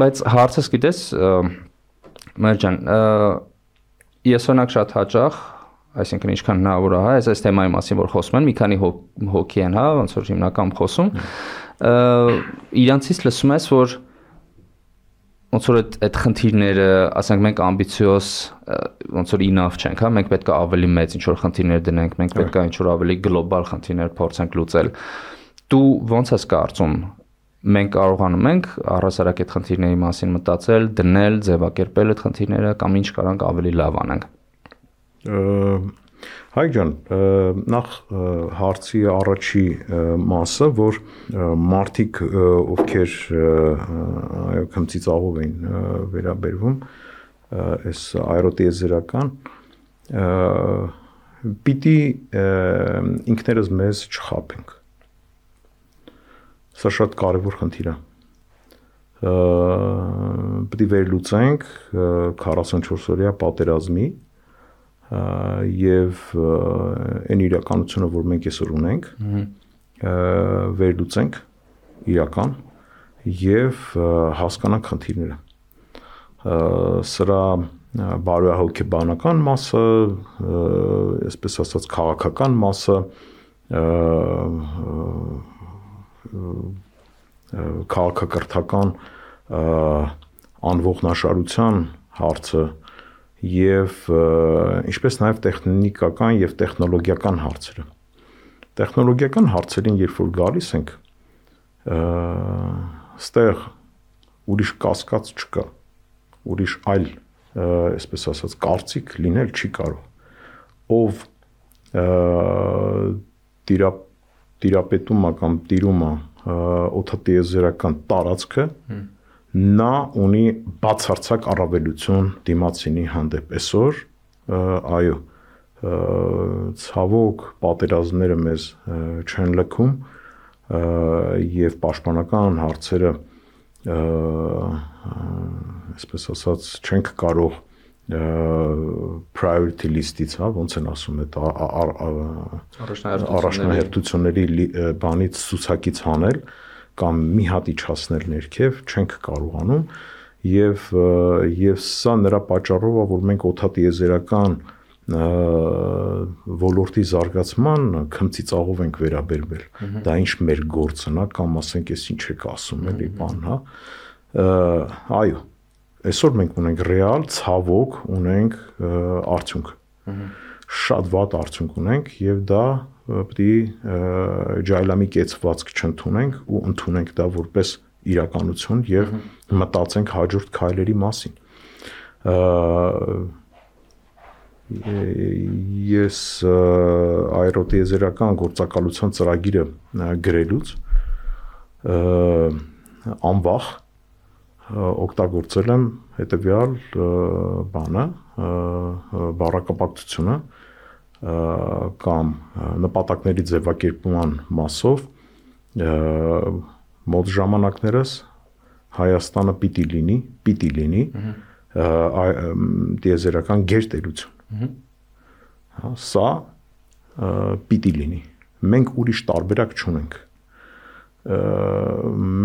Բայց հարցս գիտես, մեր ջան, ես օրինակ շատ հաճախ, այսինքն ինչքան հնարավոր է, այս թեմայի մասին որ խոսում են, մի քանի հոգի են, հա, ոնց որ հիմնականում խոսում, իրանցից լսում ես, որ ոնց որ այդ խնդիրները, ասենք մենք ամբիցիոզ, ոնց որ enough չենք, հա, մենք պետք է ավելի մեծ ինչ որ խնդիրներ դնենք, մենք պետք է ինչ որ ավելի գլոբալ խնդիրներ փորձենք լուծել։ Դու ոնց ես կարծում, մենք կարողանում ենք առհասարակ այդ խնդիրների մասին մտածել, դնել, ձևակերպել այդ խնդիրները կամ ինչ կարանք ավելի լավ անենք։ Հայկ ջան, նախ հարցի առաջի մասը, որ մարդիկ, ովքեր քմծիծաղով էին վերաբերվում, այս աերոտիեզերական, պիտի ինքներս մեզ չխաբենք։ Սա շատ կարևոր խնդիր է։ Պիտի վերլուծենք 44 օրյա պատերազմի եւ այն իրականությունը, որ մենք այսօր ունենք, վերլուծենք իրական եւ հասկանանք խնդիրները։ Սրա բարոյահոգեբանական մասը, այսպես ասած քաղաքական մասը, քաղաքակրթական անողնաշարության հարցը եւ ինչպես նաեւ տեխնիկական եւ տեխնոլոգիական հարցերը։ Տեխնոլոգիական հարցերին երբ որ գալիս ենք, ստեղ ուրիշ կասկած չկա, ուրիշ այլ, այսպես ասած, կարծիք լինել չի կարող։ Ով տիրապետում է կամ տիրում է օդատիեզերական տարածքը, նա ունի բացարձակ առավելություն դիմացինի հանդեպ։ Այսօր, այո, ցավոք պատերազմները մեզ չեն լքում եւ պաշտպանական հարցերը այսպես ասած չենք կարող priority list-ից, հա, ոնց են ասում այդ առաջնահերթությունների բանից ցուցակից հանել կամ մի հատ իջացնել ներքև չենք կարողանում եւ սա նրա պատճառով է, որ մենք օդատիեզերական ոլորտի զարգացման քմծիծաղով ենք վերաբերվել։ Դա ինչ մեր գործն է կամ ասենք էս ինչ եք ասում էլի բան, հա։ Այո, այսօր մենք ունենք ռեալ ցավոք ունենք արդյունք։ Շատ վատ արդյունք ունենք եւ դա պետք է ջայլամի կեցվածք չընդունենք ու ընդունենք դա որպես իրականություն եւ մտածենք հաջորդ քայլերի մասին։ Ես աերոտիեզերական գործակալության ծրագիրը գրելուց անվախ օգտագործել եմ հետեւյալ բանը, բառակապակցությունը կամ նպատակների ձևակերպման մասով մոտ ժամանակներս Հայաստանը պիտի լինի տիեզերական գերտերություն։ Սա պիտի լինի։ Մենք ուրիշ տարբերակ չունենք։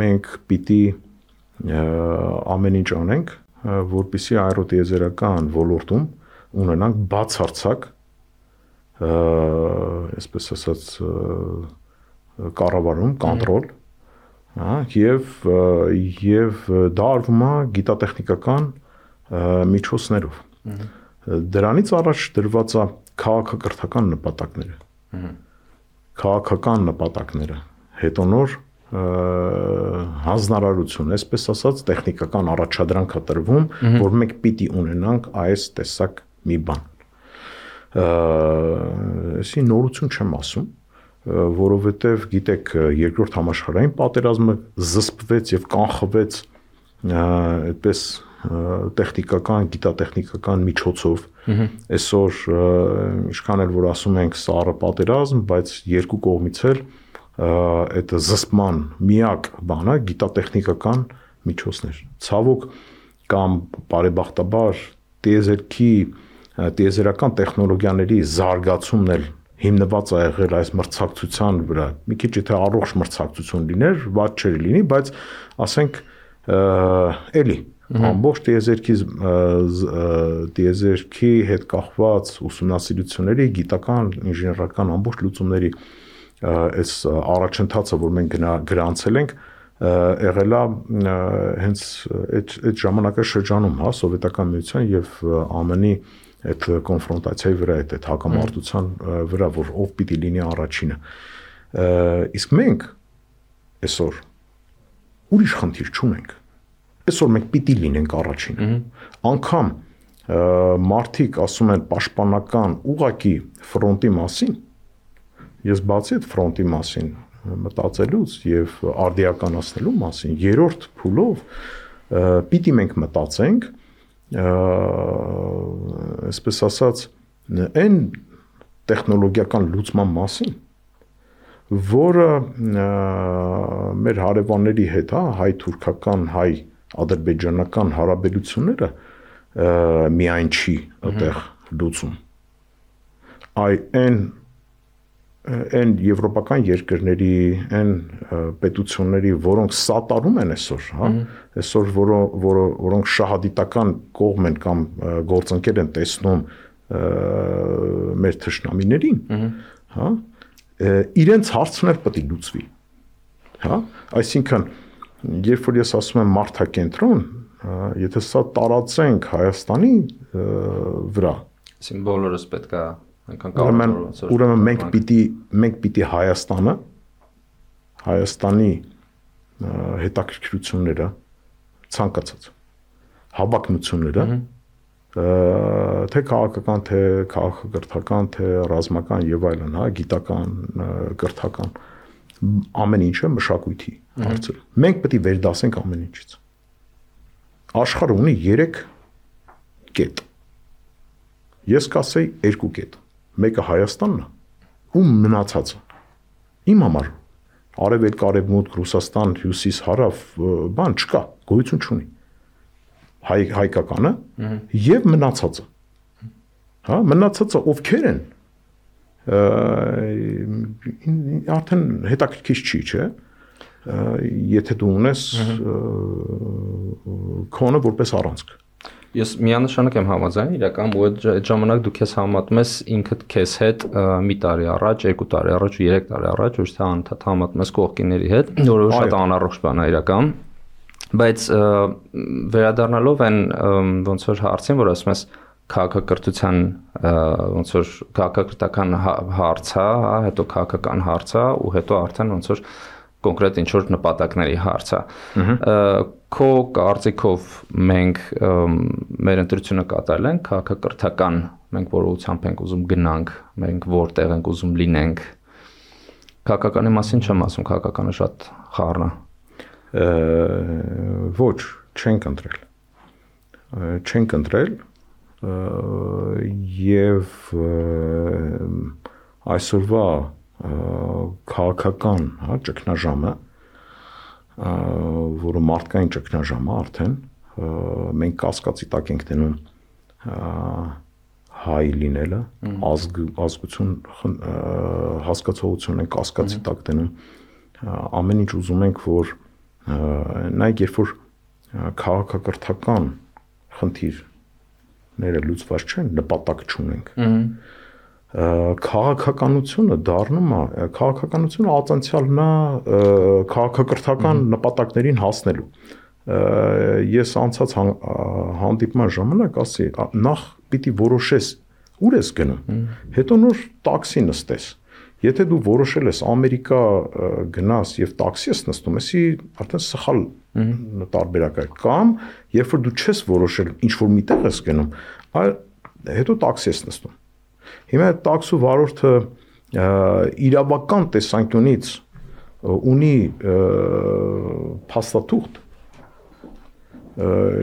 Մենք պիտի ամեն ինչ անենք, որպեսզի աերոտիեզերական ոլորտում ունենանք բացարձակ, այսպես ասած, կառավարում, կոնտրոլ, եւ դա արվում է գիտատեխնիկական միջոցներով։ Դրանից առաջ դրված է քաղաքակրթական նպատակները։ Քաղաքական նպատակները, հետո նոր հանձնարարություն, այսպես ասած, տեխնիկական առաջադրանք է տրվում, որ մենք պիտի ունենանք այս տեսակ մի բան։ Այսի նորություն չեմ ասում, որովհետև գիտեք, երկրորդ համաշխարհային պատերազմը զսպվեց եւ կանխվեց այդպես տեխնիկական, գիտատեխնիկական միջոցով։ Այսօր ինչքան էլ որ ասում ենք սառը պատերազմ, բայց երկու կողմից էլ այդ զսպման միակ բանը գիտատեխնիկական միջոցներ։ Ցավոք կամ բարեբախտաբար տիեզերական տեխնոլոգիաների զարգացումն էլ հիմնված է եղել այս մրցակցության վրա։ Մի քիչ եթե առողջ մրցակցություն լիներ, ված չէր լինի, բայց ասենք էլի ամբողջ տիեզերքի հետ կախված ուսումնասիրությունների, գիտական, ինժեներական ամբողջ լուծումների այս առաջընթացը, որ մենք գրանցել ենք, եղել է հենց այդ ժամանակաշրջանում, հա, Սովետական միության եւ ԱՄՆ-ի այդ կոնֆրոնտացիայի վրա, այդ հակամարտության վրա, որ ով պիտի լինի առաջինը։ Իսկ մենք այսօր ուրիշ խնդիր չունենք։ Այսօր մենք պիտի լինենք առաջինը։ Անկամ մարդիկ ասում են պաշտպանական ուղակի ֆրոնտի մասին, ես բացի այդ ֆրոնտի մասին մտածելուց եւ արդիականացնելու մասին, երրորդ փուլով պիտի մենք մտածենք, այսպես ասած, այն տեխնոլոգիական լուծման մասին, որը մեր հարևանների հետ, հա, հայ-թուրքական, հայ-ադրբեջանական հարաբերությունները միայն չի այդտեղ լուծում։ Այն եվրոպական երկրների, այն պետությունների, որոնք սատարում են այսօր, հա, այսօր որոնք շահադիտական կողմ են կամ գործընկեր են տեսնում մեր թշնամիներին, հա, իրենց հարցն էլ պետք է լուծվի, հա, այսինքն երբ որ ես ասում եմ մարդակենտրոն, եթե սա տարածենք Հայաստանի վրա, այսինքն բոլորս պետք է ուրեմն մենք պիտի Հայաստանի հետաքրքրությունները ցանկացած հավակնությունները, թե քաղաքական, թե քաղաքակրթական, թե ռազմական եւ այլն, հա, գիտական, կրթական, ամեն ինչը մշակույթի հարցը։ Մենք պետք է վերդասենք ամեն ինչից։ Աշխարհը ունի 3 կետ։ Ես կասեի 2 կետ։ Մեկը Հայաստանն է, ու մնացածը։ Իմ համար արևելք, արևմուտք, Ռուսաստան, հյուսիս, հարավ, բան չկա, գոյություն չունի։ Հայկականը եւ մնացածը։ Հա, մնացածը ովքեր են։ Արդեն հետաքրքիր չի, չէ՞։ Եթե դու ունես քոնը որպես առանցք։ Ես միանշանակ եմ համաձայն, իրական ու այդ ժամանակ դու քեզ համատում ես ինքդ քեզ հետ մի տարի առաջ, 2 տարի առաջ ու 3 տարի առաջ, ոչ թե անդադ համատում ես կողքիների հետ, որը շատ անառողջ բան է իրական։ Բայց վերադառնալով այն ոնց որ հարցին, որ ասում ես քաղաքակրթության ոնց որ քաղաքակրթական հարց է, հետո քաղաքական հարց է ու հետո արդեն ոնց որ կոնկրետ ինչ որ նպատակների հարց է։ Քո կարծիքով մենք մեր ընտրությունը կատարել ենք քաղաքակրթական, մենք որ ուղղությամբ ենք ուզում գնանք, մենք որտեղ ենք ուզում լինենք։ Քաղաքականի մասին չեմ ասում, քաղաքականը շատ խառն է։ Ոչ, չենք ընտրել։ Չենք ընտրել եւ այսօրվա քաղաքական, հա, ճգնաժամը, որը մարդկային ճգնաժամը արդեն, մենք կասկածի տակ ենք դնում հայ լինելը, ազգություն հասկացողություն ենք կասկածի տակ դնում, ամեն ինչ ուզում ենք, որ նայեք, երբ որ քաղաքակրթական խնդիրները լուծված չեն, նպատակ չունենք։ Քաղաքականությունը դառնում է, քաղաքականությունը ածանցյալն է քաղաքակրթական նպատակներին հասնելու։ Ես անցած հանդիպման ժամանակ ասի, նախ պիտի որոշես ուր ես գնում, հետո նոր տաքսի նստես։ Եթե դու որոշել ես Ամերիկա գնաս եւ տաքսի ես նստում, էսի արդեն սխալ տարբերակ է, կամ երբ որ դու չես որոշել ինչ որ միտեղ ես գնում, այլ հետո տաքսի ես նստում։ Հիմա այդ տաքսու վարորդը իրավական տեսանկյունից ունի փաստաթուղթ,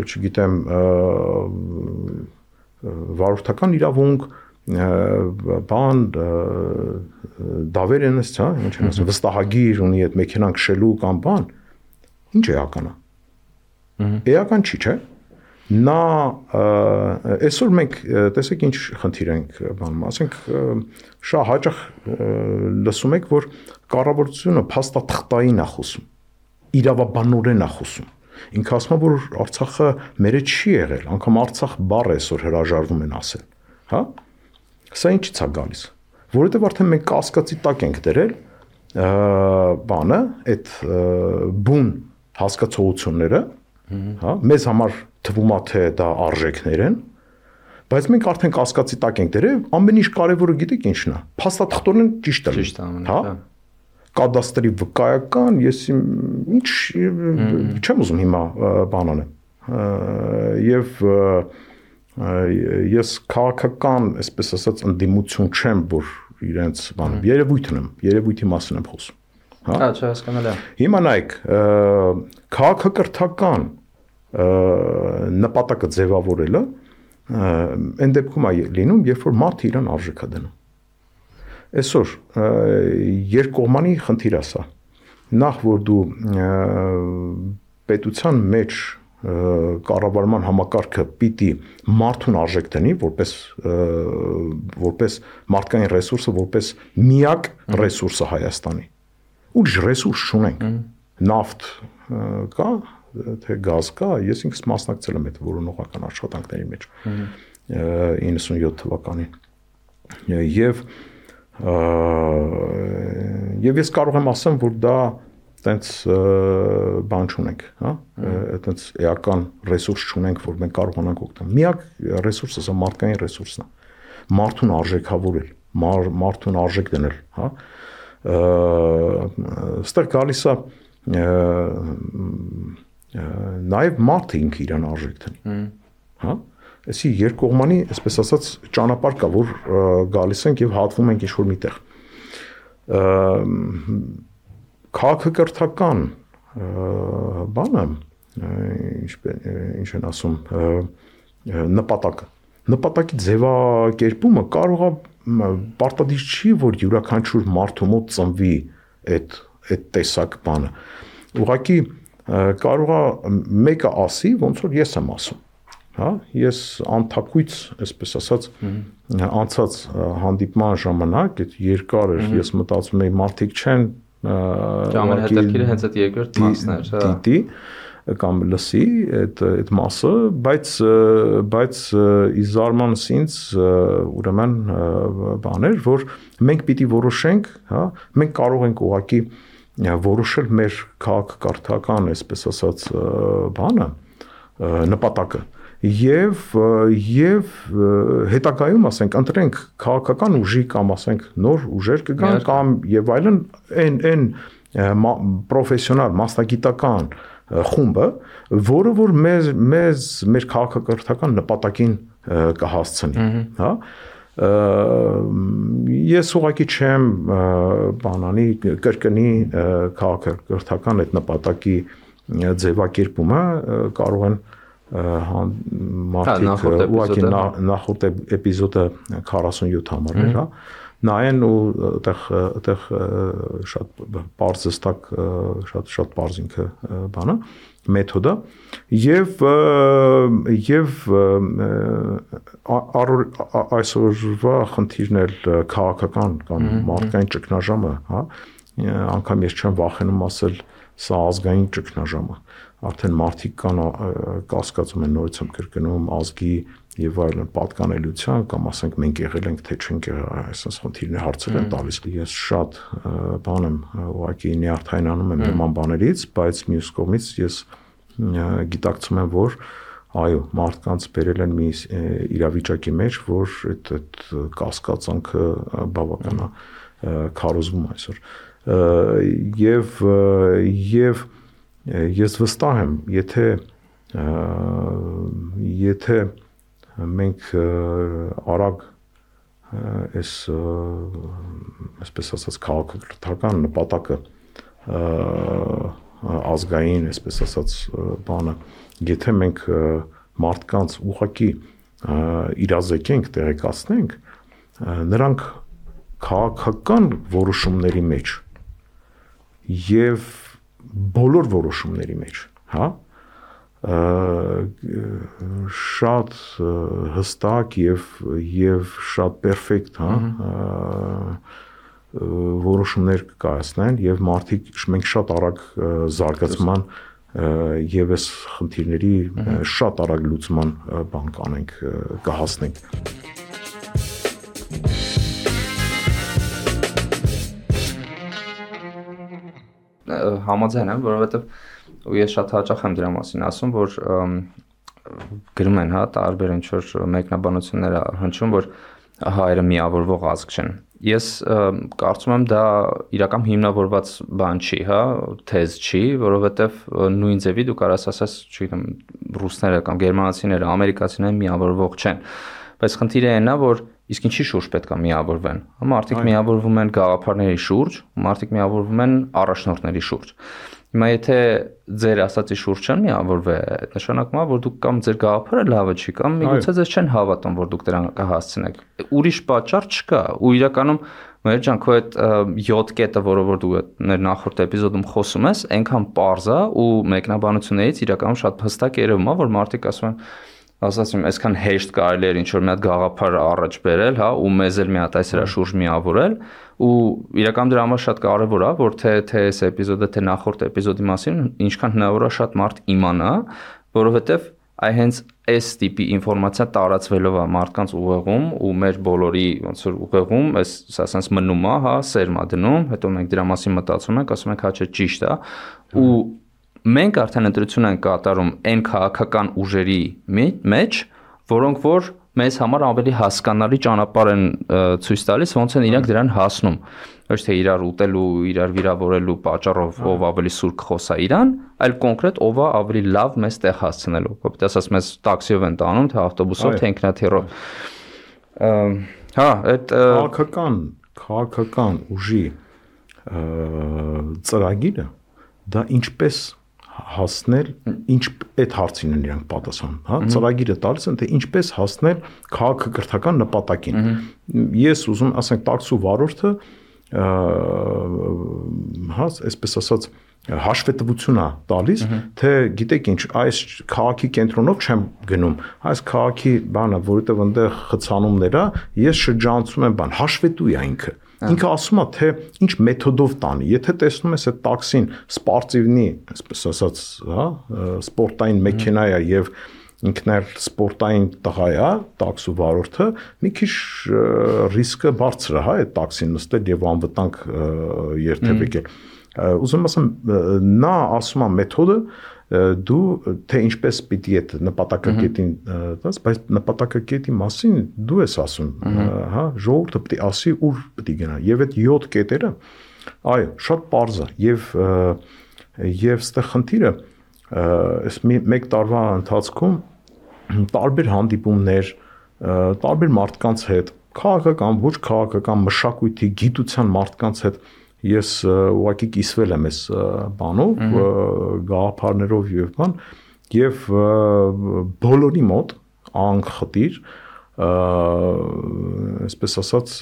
չգիտեմ, վարորդական իրավունք, բան, դավեր են ես, հա, ինչ են ասում, վստահագիր ունի այդ մեքենան քշելու կամ բան, ինչ էական է։ Էական չի, չէ՞։ Նա այսօր մենք տեսեք ինչ խնդիր ենք բանում, ասենք շատ հաճախ լսում եք, որ կառավարությունը փաստաթղթային է խոսում, իրավաբանորեն է խոսում։ Ինքը ասում է, որ Արցախը մերը չի եղել, անգամ Արցախ բառը այսօր հրաժարվում են ասել, հա։ Սա ինչից է գալիս, որովհետև արդեն մենք կասկածի տակ ենք դրել բանը, այդ բուն հասկացողությունները, հա, մեզ համար թվում է թե դա արժեքներ են, բայց մենք արդեն կասկածի տակ ենք դրել, ամեն ինչ կարևորը գիտեք ինչն է, փաստաթղթորեն ճիշտ է, հա, կադաստրի վկայական, ես ինչ չեմ ուզում հիմա բան անեմ, եւ ես քաղաքական, այսպես ասած, ընդդիմություն չեմ, որ իրենց բանը, երևույթի մասին եմ խոսում, հա, չհասկանալի է։ Հիմա նայեք, քաղաքակրթական նպատակը ձևավորելը այն դեպքում է լինում, երբ որ մարդը իրան արժեք է դնում։ Այսօր երկկողմանի խնդիր է սա։ Նախ որ դու պետության մեջ կառավարման համակարգը պիտի մարդուն արժեք դնի, որպես մարդկային ռեսուրսը, որպես միակ ռեսուրսը Հայաստանի։ Ուրիշ ռեսուրս չունենք։ Նավթ կա, թե գազ կա, ես ինքս մասնակցել եմ այդ որոնողական աշխատանքների մեջ 97 թվականին եւ ես կարող եմ ասեմ, որ դա տենց բան չունենք, հա, տենց էական ռեսուրս չունենք, որ մենք կարողանանք օգտվել։ Միակ ռեսուրսը սա մարդկային ռեսուրսն է։ Մարդուն արժեքավորել, մարդուն արժեք դնել, հա։ Ստեղ գալիս է նաև մարդը ինքը իրան արժեք տնի։ Հա։ Այսի երկկողմանի, այսպես ասած, ճանապարհ կա, որ գալիս ենք եւ հատվում ենք ինչ-որ միտեղ։ Քաղաքակրթական բանը, ինչ են ասում, նպատակի ձևակերպումը կարող է պարտադիր չի, որ յուրաքանչյուր մարդու մոտ ծնվի այդ տեսակ բանը։ Ուղղակի կարող է մեկը ասի, ոնց որ ես եմ ասում, հա, ես անթակույց, այսպես ասած, անցած հանդիպման ժամանակ, այդ երկար էր, ես մտածում էի մարդիկ չեն ամենահետաքրքիրը հենց այդ երկրորդ մասն էր, հա։ Դիտի կամ լսի այդ մասը, բայց ի զարմանս ինձ ուրեմն բաներ, որ մենք պիտի որոշենք, հա, մենք կարող ենք ուղղակի որոշել մեր քաղաքակրթական, այսպես ասած, բանը, նպատակը եւ հետագայում ասենք ընտրենք քաղաքական ուժի կամ ասենք նոր ուժեր կգան կամ եւ այլն այն պրոֆեսիոնալ մասնագիտական խումբը, որը որ մեր քաղաքակրթական նպատակին կհասցնի, հա։ Ես ուղղակի չեմ բանանի կրկնի քաղաքակրթական այդ նպատակի ձևակերպումը կարող են մարդիկ ուղղակի նախորդ էպիզոդը 47 համարներ, հա, նայեն ու այդտեղ շատ բարձ ստակ շատ բարձ ինքը բանը մեթոդը եւ այսօրվա խնդիրն էլ քաղաքական կամ մարդկային ճգնաժամը, հա, անգամ ես չեմ վախենում ասել սա ազգային ճգնաժամը, արդեն մարդիկ կան կասկածում են նորից եմ կրկնում ազգի եւ այլն պատկանելիության կամ ասենք մենք եղել ենք թե չենք եղել այսպես խնդիրներ հարցեր են տալիս ես շատ բան եմ ուղղակի նյարդայնանում եմ նման բաներից բայց մյուս կողմից ես գիտակցում եմ որ այո մարդկանց բերել են մի իրավիճակի մեջ որ այդ կասկածանքը բավական է քարոզվում այսօր եւ ես վստահ եմ եթե մենք արագ այս այսպես ասած քաղաքակրթական նպատակը ազգային այսպես ասած բանը եթե մենք մարդկանց ուղղակի իրազեկենք տեղեկացնենք նրանք քաղաքական որոշումների մեջ եւ բոլոր որոշումների մեջ հա շատ հստակ եւ շատ պերֆեկտ, հա, որոշումներ կայացնեն եւ մարդիկ մենք շատ արագ զարգացման եւ այս խնդիրների շատ արագ լուծման բան կանենք, կհասնենք։ Համաձայն եմ, որովհետեւ ու ես շատ հաճախ եմ դրա մասին ասում, որ գրում են, հա, տարբեր ինչ-որ մեկնաբանություններ հնչում, որ հայերը միավորվող ազգ չեն։ Ես կարծում եմ դա իրական հիմնավորված բան չի, հա, թեզ չի, որովհետև նույն ձևի դու կարաս ասես, չգիտեմ, ռուսները կամ գերմանացիները, ամերիկացիները միավորվող չեն։ Բայց խնդիրը այն է, որ իսկ ինչի շուրջ պետք է միավորվեն։ Մարդիկ միավորվում են գաղափարների շուրջ, մարդիկ միավորվում են առաջնորդների շուրջ։ Հիմա եթե ձեր ասացի շուրջ չեն միավորվել, նշանակում է, որ դուք կամ ձեր գաղափարը լավը չի, կամ միգուցե ձեզ չեն հավատում, որ դուք դրան կհասցնեք։ Ուրիշ պատճառ չկա, ու իրականում մեր ջան, քո այդ 7 կետը, որը դու մեր նախորդ էպիզոդում խոսում ես, այնքան պարզ է ու մեկնաբանություններից իրականում շատ հստակ երևում է, որ մարդիկ ասում են ասացին, այսքան հեշտ կարելի էր ինչ-որ մի հատ գաղափար առաջ բերել, հա, ու մեզ էլ մի հատ այս հրա շուրջ միավորել, ու իրական դրա համար շատ կարևոր է, որ թե այս էպիզոդը, թե նախորդ էպիզոդի մասին ինչքան հնարավոր է շատ մարդ իմանա, որովհետև այ հենց այս տիպի ինֆորմացիա տարածվելով է մարդկանց ուղեղում ու մեր բոլորի ոնց որ ուղեղում, ասած մնում է, հա, սերմա դնում, հետո մենք դրա մասին մտածում ենք, ասում ենք, հա, չէ, ճիշտ է, ու մենք արդեն ընտրություն ենք կատարում այն քաղաքական ուժերի մեջ, որոնք որ մեզ համար ավելի հասկանալի ճանապարհ են ցույց տալիս, ոնց են իրենք դրան հասնում։ Ոչ թե իրար ուտելու, իրար վիրավորելու պատճառով ով ավելի սուր խոսա իրան, այլ կոնկրետ ով է ավելի լավ մեզ տեղ հասցնելու։ Որովհետեւ ասած մեզ տաքսիով են տանում, թե ավտոբուսով, թե ինքնաթիռով։ Հա, այդ քաղաքական ուժի ծրագիրը դա ինչպես հասնել, ինչ այդ հարցին են իրանք պատասխան, հա, ծրագիրը տալիս են, թե ինչպես հասնել քաղաքակրթական նպատակին։ Ես ուզում ասենք տաքսու վարորդը հա, այսպես ասած հաշվետվություն է տալիս, թե գիտեք ինչ, այս քաղաքի կենտրոնով չեմ գնում, այս քաղաքի բանը, որովհետև այնտեղ խցանումներ է, ես շրջանցում եմ բան, հաշվետու է ինքը։ Ինքը ասում է, թե ինչ մեթոդով տանի, եթե տեսնում ես այդ տաքսին սպորտիվնի, այսպես ասած, հա, սպորտային մեքենա է եւ ինքն էլ սպորտային տղա է, տաքսու վարորդը, մի քիչ ռիսկը բարձր է, հա, այդ տաքսին նստել եւ անվտանգ երթևեկել։ Ուզում ասեմ, նա ասում է մեթոդը դու թե ինչպես պիտի այդ նպատակակետին տաս, բայց նպատակակետի մասին դու ես ասում, հա, ժողովուրդը պիտի ասի ուր պիտի գնա եւ այդ 7 կետերը, այո, շատ པարզ է եւ ստեղ խնդիրը այս մեկ տարվա ընթացքում տարբեր հանդիպումներ, տարբեր մարդկանց հետ, քաղաքական, ոչ քաղաքական, մշակույթի, գիտության մարդկանց հետ ես ուղղակի կիսվել եմ այս բանով, գաղափարներով եւ բան, եւ բոլորի մոտ անխտիր, այսպես ասած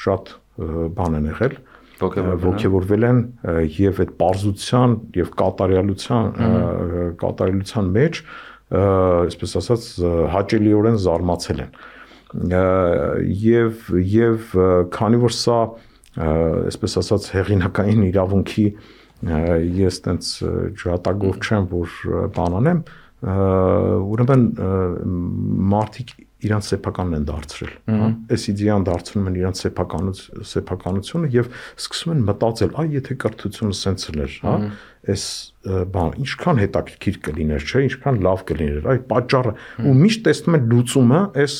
շատ բան են եղել, ոգևորվել են եւ այդ պարզության եւ կատարելության մեջ, այսպես ասած հաճելիորեն զարմացել են։ Եվ քանի որ սա այսպես ասած հեղինակային իրավունքի ես տենց ջրատագով չեմ որ բան անեմ, ուրեմն մարդիկ իրանց սեփականն են դարձրել, հա, այս իդեան դարձնում են իրանց սեփականությունը եւ սկսում են մտածել, այ եթե կրթությունը սենց էր, հա, այս բան ինչքան հետաքրքիր կլիներ, չէ, ինչքան լավ կլիներ, այ պատճառը ու միշտ տեսնում են լուծումը, այս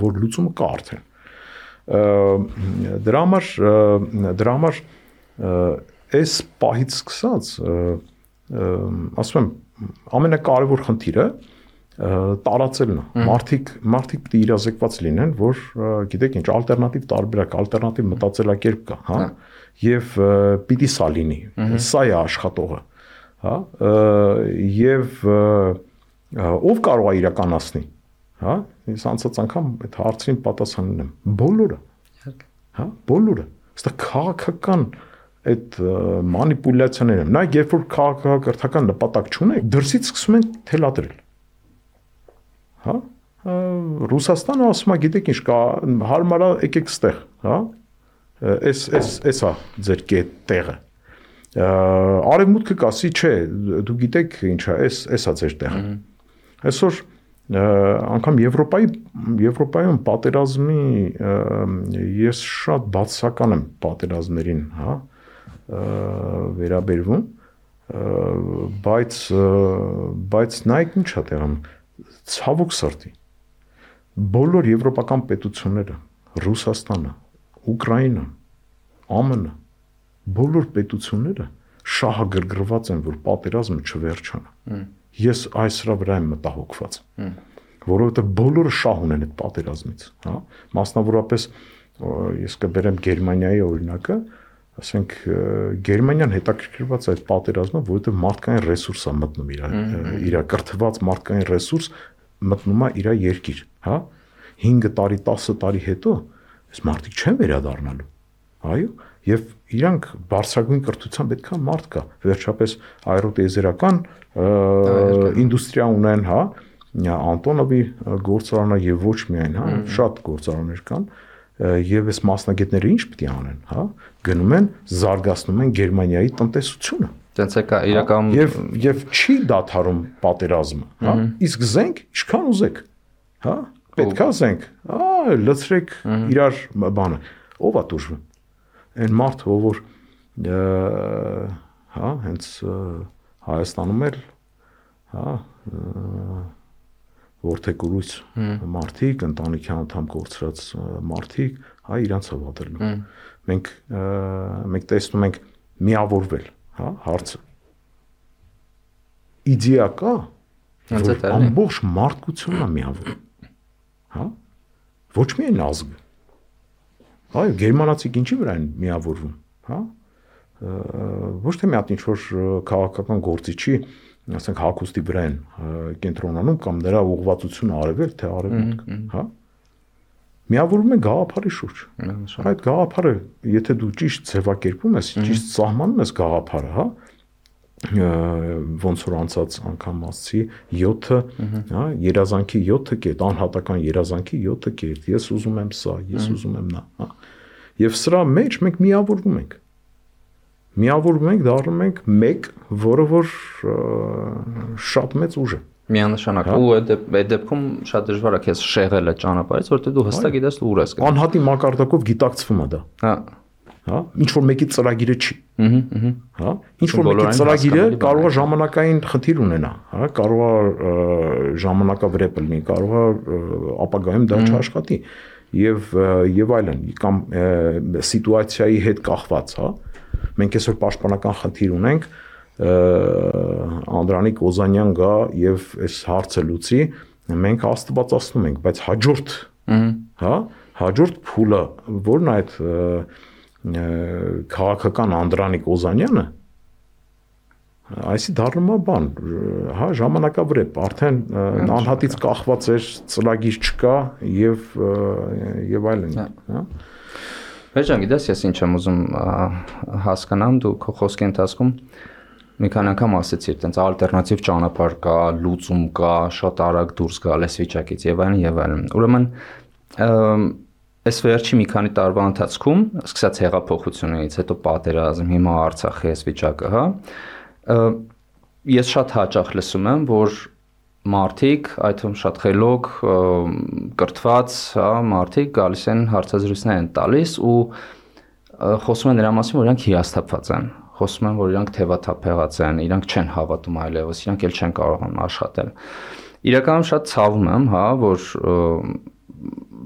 որ լուծումը կա արդեն։ Դրա համար այս պահից սկսած ասում եմ ամենակարևոր խնդիրը տարածելն է։ Մարդիկ պիտի իրազեկված լինեն, որ գիտեք ինչ, ալտերնատիվ տարբերակ, ալտերնատիվ մտածելակերպ կա, հա, եւ պիտի սա լինի։ Սա է աշխատողը, հա, եւ ով կարող է իրականացնի, հա։ Ես անցած անգամ այդ հարցին պատասխանել եմ։ Բոլորը, հա, բոլորը։ Այստեղ քաղաքական այդ մանիպուլյացիաները, նայեք, երբ որ քաղաքակրթական նպատակ չունեք, դրսից սկսում են թելադրել։ Հա, Ռուսաստանը ասում է, գիտեք ինչ կա, հարմար է, եկեք ստեղ, հա, էսա ձեր տեղը։ Արևմուտքը կասի, չէ, դու գիտեք ինչ է, էսա ձեր տեղը։ Այսօր անգամ Եվրոպայում պատերազմի ես շատ բացասական եմ պատերազմներին, հա, վերաբերվում, բայց նայեք ինչ է տեղում, ցավոք սրտի, բոլոր եվրոպական պետությունները, Ռուսաստանը, Ուկրաինան, ԱՄՆ, բոլոր պետությունները շահագրգռված են, որ պատերազմը չվերջանա։ Ես այսրա վրա եմ մտահոգված, որովհետև բոլորը շահ ունեն այդ պատերազմից, հա, մասնավորապես ես կբերեմ Գերմանիայի օրինակը, ասենք Գերմանիան հետաքրքրված է այդ պատերազմը, որովհետև մարդկային ռեսուրս է մտնում իր կրթված մարդկային ռեսուրս մտնում է իր երկիր, հա, 5 տարի, 10 տարի հետո այս մարդիկ չեն վերադառնալու, այո, եւ իրանք բարձրագույն կրթության պետքա մարդ կա, վերջապես աերոտիեզերական ինդուստրիա ունեն, հա, Անտոնովի գործարանը եւ ոչ միայն, հա, շատ գործարաններ կան, եւ այս մասնագետները ինչ պիտի անեն, հա, գնում են, զարգացնում են Գերմանիայի տնտեսությունը։ Դենց է իրական եւ չի դադարում պատերազմը, հա, իսկ զենք ինչքան ուզեք, հա, պետքա զենք, լցրեք իրար բանը, ով է դժվում։ Այն մարդը, որ հա, հենց Հայաստանում էլ, հա, որդեկուրույց մարդիկ, ընտանիքի անդամ կորցրած մարդիկ, հա, իրանց հավատելու։ Մենք տեսնում ենք միավորվել, հա, հարցը։ Իդեա կա, որ ամբողջ մարդկությունն է միավորվում, հա, ոչ միայն ազգը, հա, գերմանացիք ինչի վրա են միավորվում, հա, ոչ թե մի հատ ինչ-որ քաղաքական գործիչի, ասենք հագուստի վրա են կենտրոնանում կամ նրա ուղղվածությունը արևել, թե արևմուտք, հա, միավորվում են գաղափարի շուրջ։ Այդ գաղափարը, եթե դու ճիշտ ձևակերպում ես, ճիշտ սահմանում ես գաղափարը, հա, ոնց որ անցած անգամ ասացի 7, հա, երազանքի 7 կետ, անհատական երազանքի 7 կետ, ես ուզում եմ սա, ես ուզում եմ նա, հա։ Եվ սրա մեջ մենք միավորվում ենք, դառնում ենք մեկ, որը որ շատ մեծ ուժ է։ Միանշանակ, ու այդ դեպքում շատ դժվար է քեզ շեղել այդ ճանապարհից, որտեղ դու հստակ գիտես ուր ես գնում։ Անհատի մակարդակով գիտակցվում է դա։ Հա, ինչ որ մեկի ծրագիրը չի։ Հա, ինչ որ մեկի ծրագիրը կարող է ժամանակային խնդիր ունենա, հա, կարող է ժամանակավրեպ լինի, կարող է ապագայում դա չաշխատի եւ այլն, կամ սիտուացիայի հետ կախված, հա։ Մենք այսօր պաշտպանական խնդիր ունենք, Անդրանիկ Օզանյան գա եւ այս հարցը լուծի, մենք աստվածացնում ենք, բայց հաջորդ, հա, հաջորդ փուլը, որն է այդ քաղաքական Անդրանիկ Օզանյանը, այսի դառնում է բան, հա, ժամանակավրեպ, արդեն անհատից կախված էր, ծրագիր չկա եւ այլն, հա։ Վերջան, գիտես, ես ինչ եմ ուզում հասկանամ, դու քո խոսքի ընթացքում մի քանի անգամ ասեցիր, այտենց ալտերնատիվ ճանապարհ կա, լուծում կա, շատ արագ դուրս գալ այս վիճակից եւ այլն։ Ուրեմն այս վերջի մի քանի տարվա ընթացքում, սկսած հեղափոխությունից, հետո պատերազմ, հիմա Արցախի այս վիճակը, հա, ես շատ հաճախ լսում եմ, որ մարդիկ, այդ թվում շատ խելոք, կրթված, հա, մարդիկ գալիս են հարցազրույցներ են տալիս ու խոսում են նրա մասին, որ իրանք հիասթափված են, խոսում են, որ իրանք թևաթափեղած են, իրանք չեն հավատում այլևս, իրանք էլ չեն կարողանում աշխատել։ Իրականում շատ ցավում եմ, հա,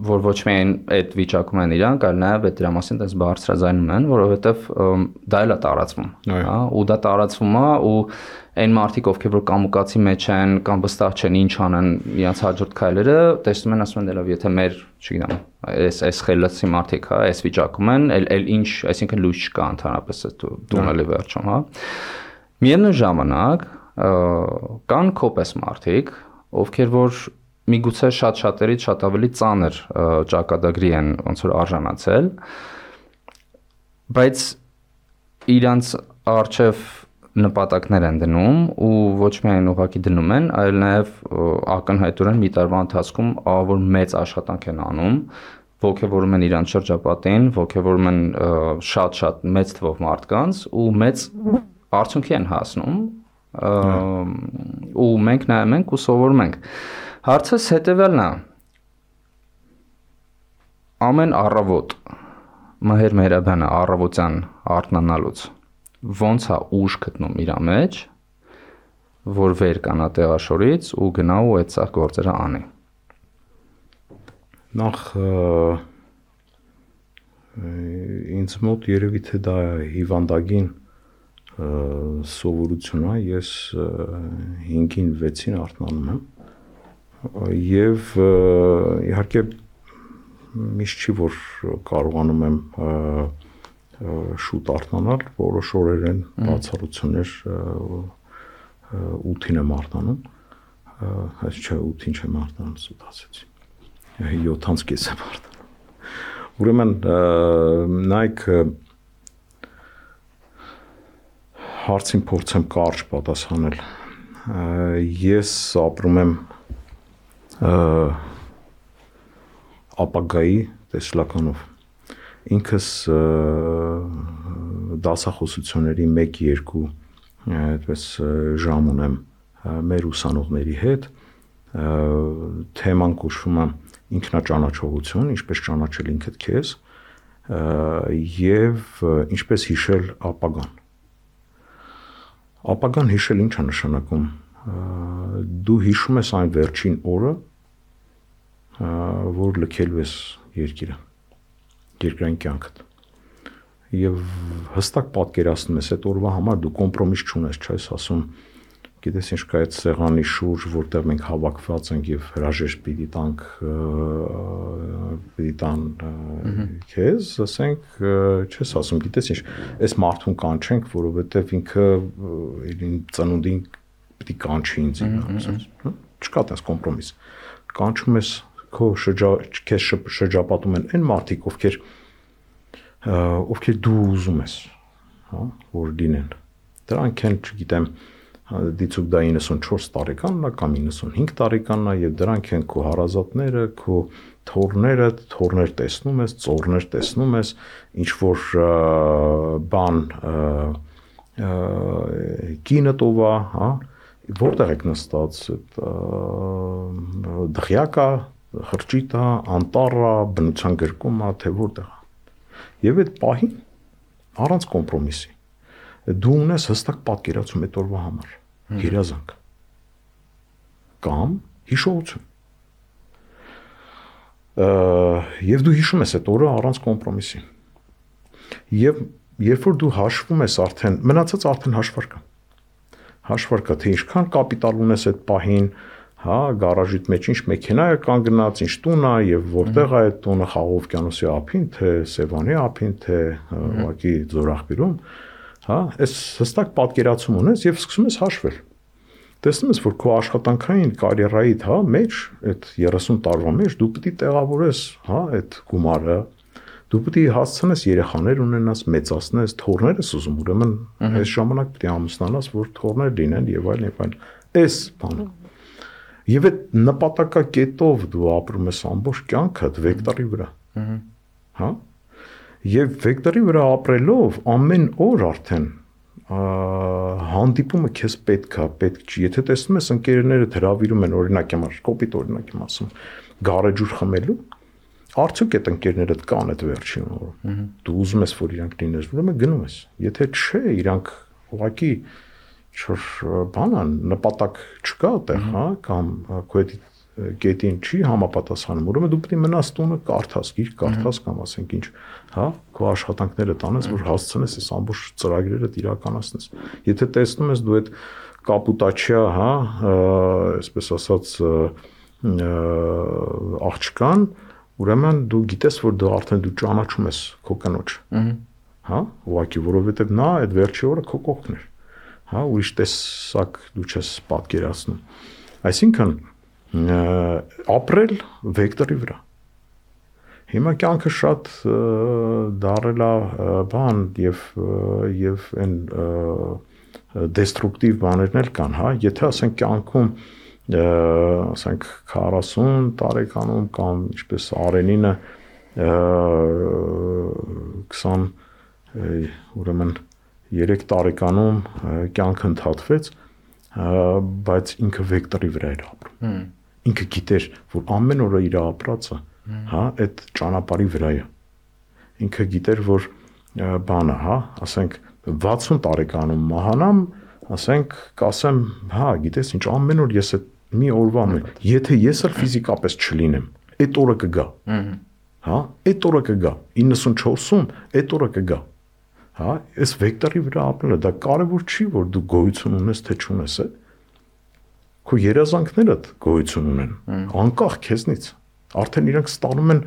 որ ոչ միայն այդ վիճակում են իրանք, այլ նաև այդ դրա մասին այդպես բարձրաձայնում են, որովհետև դա էլ է տարածվում, հա, ու դա տարածվում է ու այն մարդիկ, ովքեր որ կամուկացի մեջ են կամ վստահ չեն ինչ անեն իրենց հաջորդ քայլերը, տեսնում են, ասում են դե լավ, եթե մեր, չգիտեմ, այս խելացի մարդիկ, հա, այս վիճակում են, էլ ինչ, այսինքն լույս չկա ընդհանրապես տունելի վերջում, հա։ Միևնույն ժամանակ կան կոպես մարդիկ, ովքեր որ միգուցե շատերից շատ ավելի ծանր ճակատագրի են ոնց որ արժանացել, բայց իրանց արժև նպատակներ են դնում ու ոչ միայն ուղղակի դնում են, այլ նաև ակնհայտորեն մի տարվա ընթացքում ավոր մեծ աշխատանք են անում, ոգևորում են իրանց շրջապատին, ոգևորում են շատ մեծ թվով մարդկանց ու մեծ արդյունքի են հասնում ու մենք նայում ենք ու սովորում ենք։ Հարցս հետևյալն է. ամեն առավոտ Մհեր Մեհրաբյանը առավոտյան արթնանալուց ոնց է ուժ գտնում իր մեջ, որ վեր կանա տեղաշորից ու գնա ու այդ սա գործերը անի։ Նախ ինձ մոտ երևի թե դա հիվանդագին սովորություն է, ես 5-ին 6-ին արթնանում եմ եւ իհարկե միշտ չի որ կարողանում եմ շուտ արթնանալ, որոշ օրեր են բացառություններ 8-ին եմ արթնանում, այս չէ 8-ին չեմ արթնանում, սուտ ասեցի, 7:30 եմ արթնանում, ուրեմն նայք հարցին փորձեմ կարճ պատասխանել, ես ապրում եմ ապագայի տեսլականով, ինքս դասախոսությունների 1-2 այդպես ժամ ունեմ մեր ուսանողների հետ, թեման կոչվում է ինքնաճանաչողություն, ինչպես ճանաչել ինքդ քեզ եւ ինչպես հիշել ապագան։ Ապագան հիշել ինչ է նշանակում։ դու հիշում ես այն վերջին օրը, որ լքելու ես երկրային կյանքդ։ Եվ հստակ պատկերացնում ես այդ օրվա համար դու կոմպրոմիս չունես, չէ՞, ես ասում, գիտես ինչ կա այդ սեղանի շուրջ, որտեղ մենք հավաքված ենք եւ հրաժեշտ պիտի տան քեզ, ասենք, չես ասում, գիտես ինչ, այս մարդուն կանչենք, որովհետեւ ինքը իր ծնունդին պիտի կանչի ինձ, չկա այդպես կոմպրոմիս։ Կանչում ես քո քեզ շրջապատում են այն մարդիկ, ովքեր դու ուզում ես, հա, որ լինեն։ Դրանք են, չգիտեմ, դիցուկ դա 94 տարեկանն է կամ 95 տարեկանն է եւ դրանք են քո հարազատները, քո թորներ տեսնում ես, ծորներ տեսնում ես, ինչ որ բան կինը տովա, հա, որտեղ եք նստած, դղյակա, խրճիտա, անտառա, բնության գրկումա, թե որտեղ։ Եվ այդ պահին առանց կոմպրոմիսի դու ունես հստակ պատկերացում այդ օրվա համար, երազանք կամ հիշողություն։ Եվ դու հիշում ես այդ օրը առանց կոմպրոմիսի։ Եվ երբ որ դու հաշվում ես արդեն, մնացած արդեն հաշվար կա, թե ինչքան կապիտալ ունես այդ պահին, հա, գարաժիդ մեջ ինչ մեքենա է կանգնած, ինչ տուն է եւ որտեղ է այդ տունը, Խաղաղ օվկիանոսի ափին, թե Սևանի ափին, թե ուղղակի Ձորախբիրում, հա, այս հստակ պատկերացում ունես եւ սկսում ես հաշվել։ Տեսնում ես, որ քո աշխատանքային կարիերայիդ, հա, մեջ, այդ 30 տարվա մեջ դու պիտի տեղավորես, հա, այդ գումարը, դու պիտի հասցնես երեխաներ ունենաս, մեծացնես, թորներ ես ուզում, ուրեմն այս ժամանակ պիտի ամուսնանաս, որ թորներ լինեն եւ այլն։ Այս բանը։ Եվ այդ նպատակակետով դու ապրում ես ամբողջ կյանքդ վեկտորի վրա։ Հա։ Եվ վեկտորի վրա ապրելով ամեն օր արդեն հանդիպումը քեզ պետք չի։ Եթե տեսնում ես ընկերներդ հրավիրում են, օրինակ համար, կոպիտ օրինակ եմ ասում, գարեջուր խմելու, արդյոք այդ ընկերներդ կան այդ վերջին օրը։ Դու ուզում ես, որ իրանք լինես, ուրեմն գնում ես։ Եթե չէ, իրանք ուղղակի բանան նպատակ չկա այդտեղ, հա, կամ քո այդ կետին չի համապատասխանում, ուրեմն դու պետք է մնաս տունը կարդաս, գիրք կարդաս կամ ասենք ինչ, հա, քո աշխատանքները տանես, որ հասցնես այս ամբողջ ծրագրերդ իրականացնես։ Եթե տեսնում ես դու այդ կապուտաչիա, հա, այսպես ասած աղջկան, ուրեմն դու գիտես, որ դու արդեն ճանաչում ես քո կնոջ, հա, ուղղակի, որովհետև նա այդ վերջի օրը քո կողքն էր, հա, ուրիշ տեսակ դու չես պատկերացնում։ Այսինքն ապրել վեկտորի վրա։ Հիմա կյանքը շատ դարել է բան եւ այն դեստրուկտիվ բաներն էլ կան, հա, եթե ասենք կյանքում ասենք 40 տարեկանում կամ ինչպես Արենինը 20 ուրեմն 3 տարեկանում կյանքը ընդհատվեց, բայց ինքը վեկտորի վրա էր ապրում։ Ինքը գիտեր, որ ամեն օրը իր ապրածը, հա, այդ ճանապարհի վրա է։ Ինքը գիտեր, որ բանը, հա, ասենք 60 տարեկանում մահանամ, ասենք, կասեմ, հա, գիտես ինչ, ամեն օր ես այդ մի օրվա մեջ, եթե ես էլ ֆիզիկապես չլինեմ, այդ օրը կգա։ Հա, այդ օրը կգա, 94-ում այդ օրը կգա։ Հա, այս վեկտորի վրա ապրելը դա կարևոր չի, որ դու գոյություն ունես, թե չունես, է։ Քո երազանքներդ գոյություն ունեն, անկախ քեզնից։ Արդեն իրանք ստանում են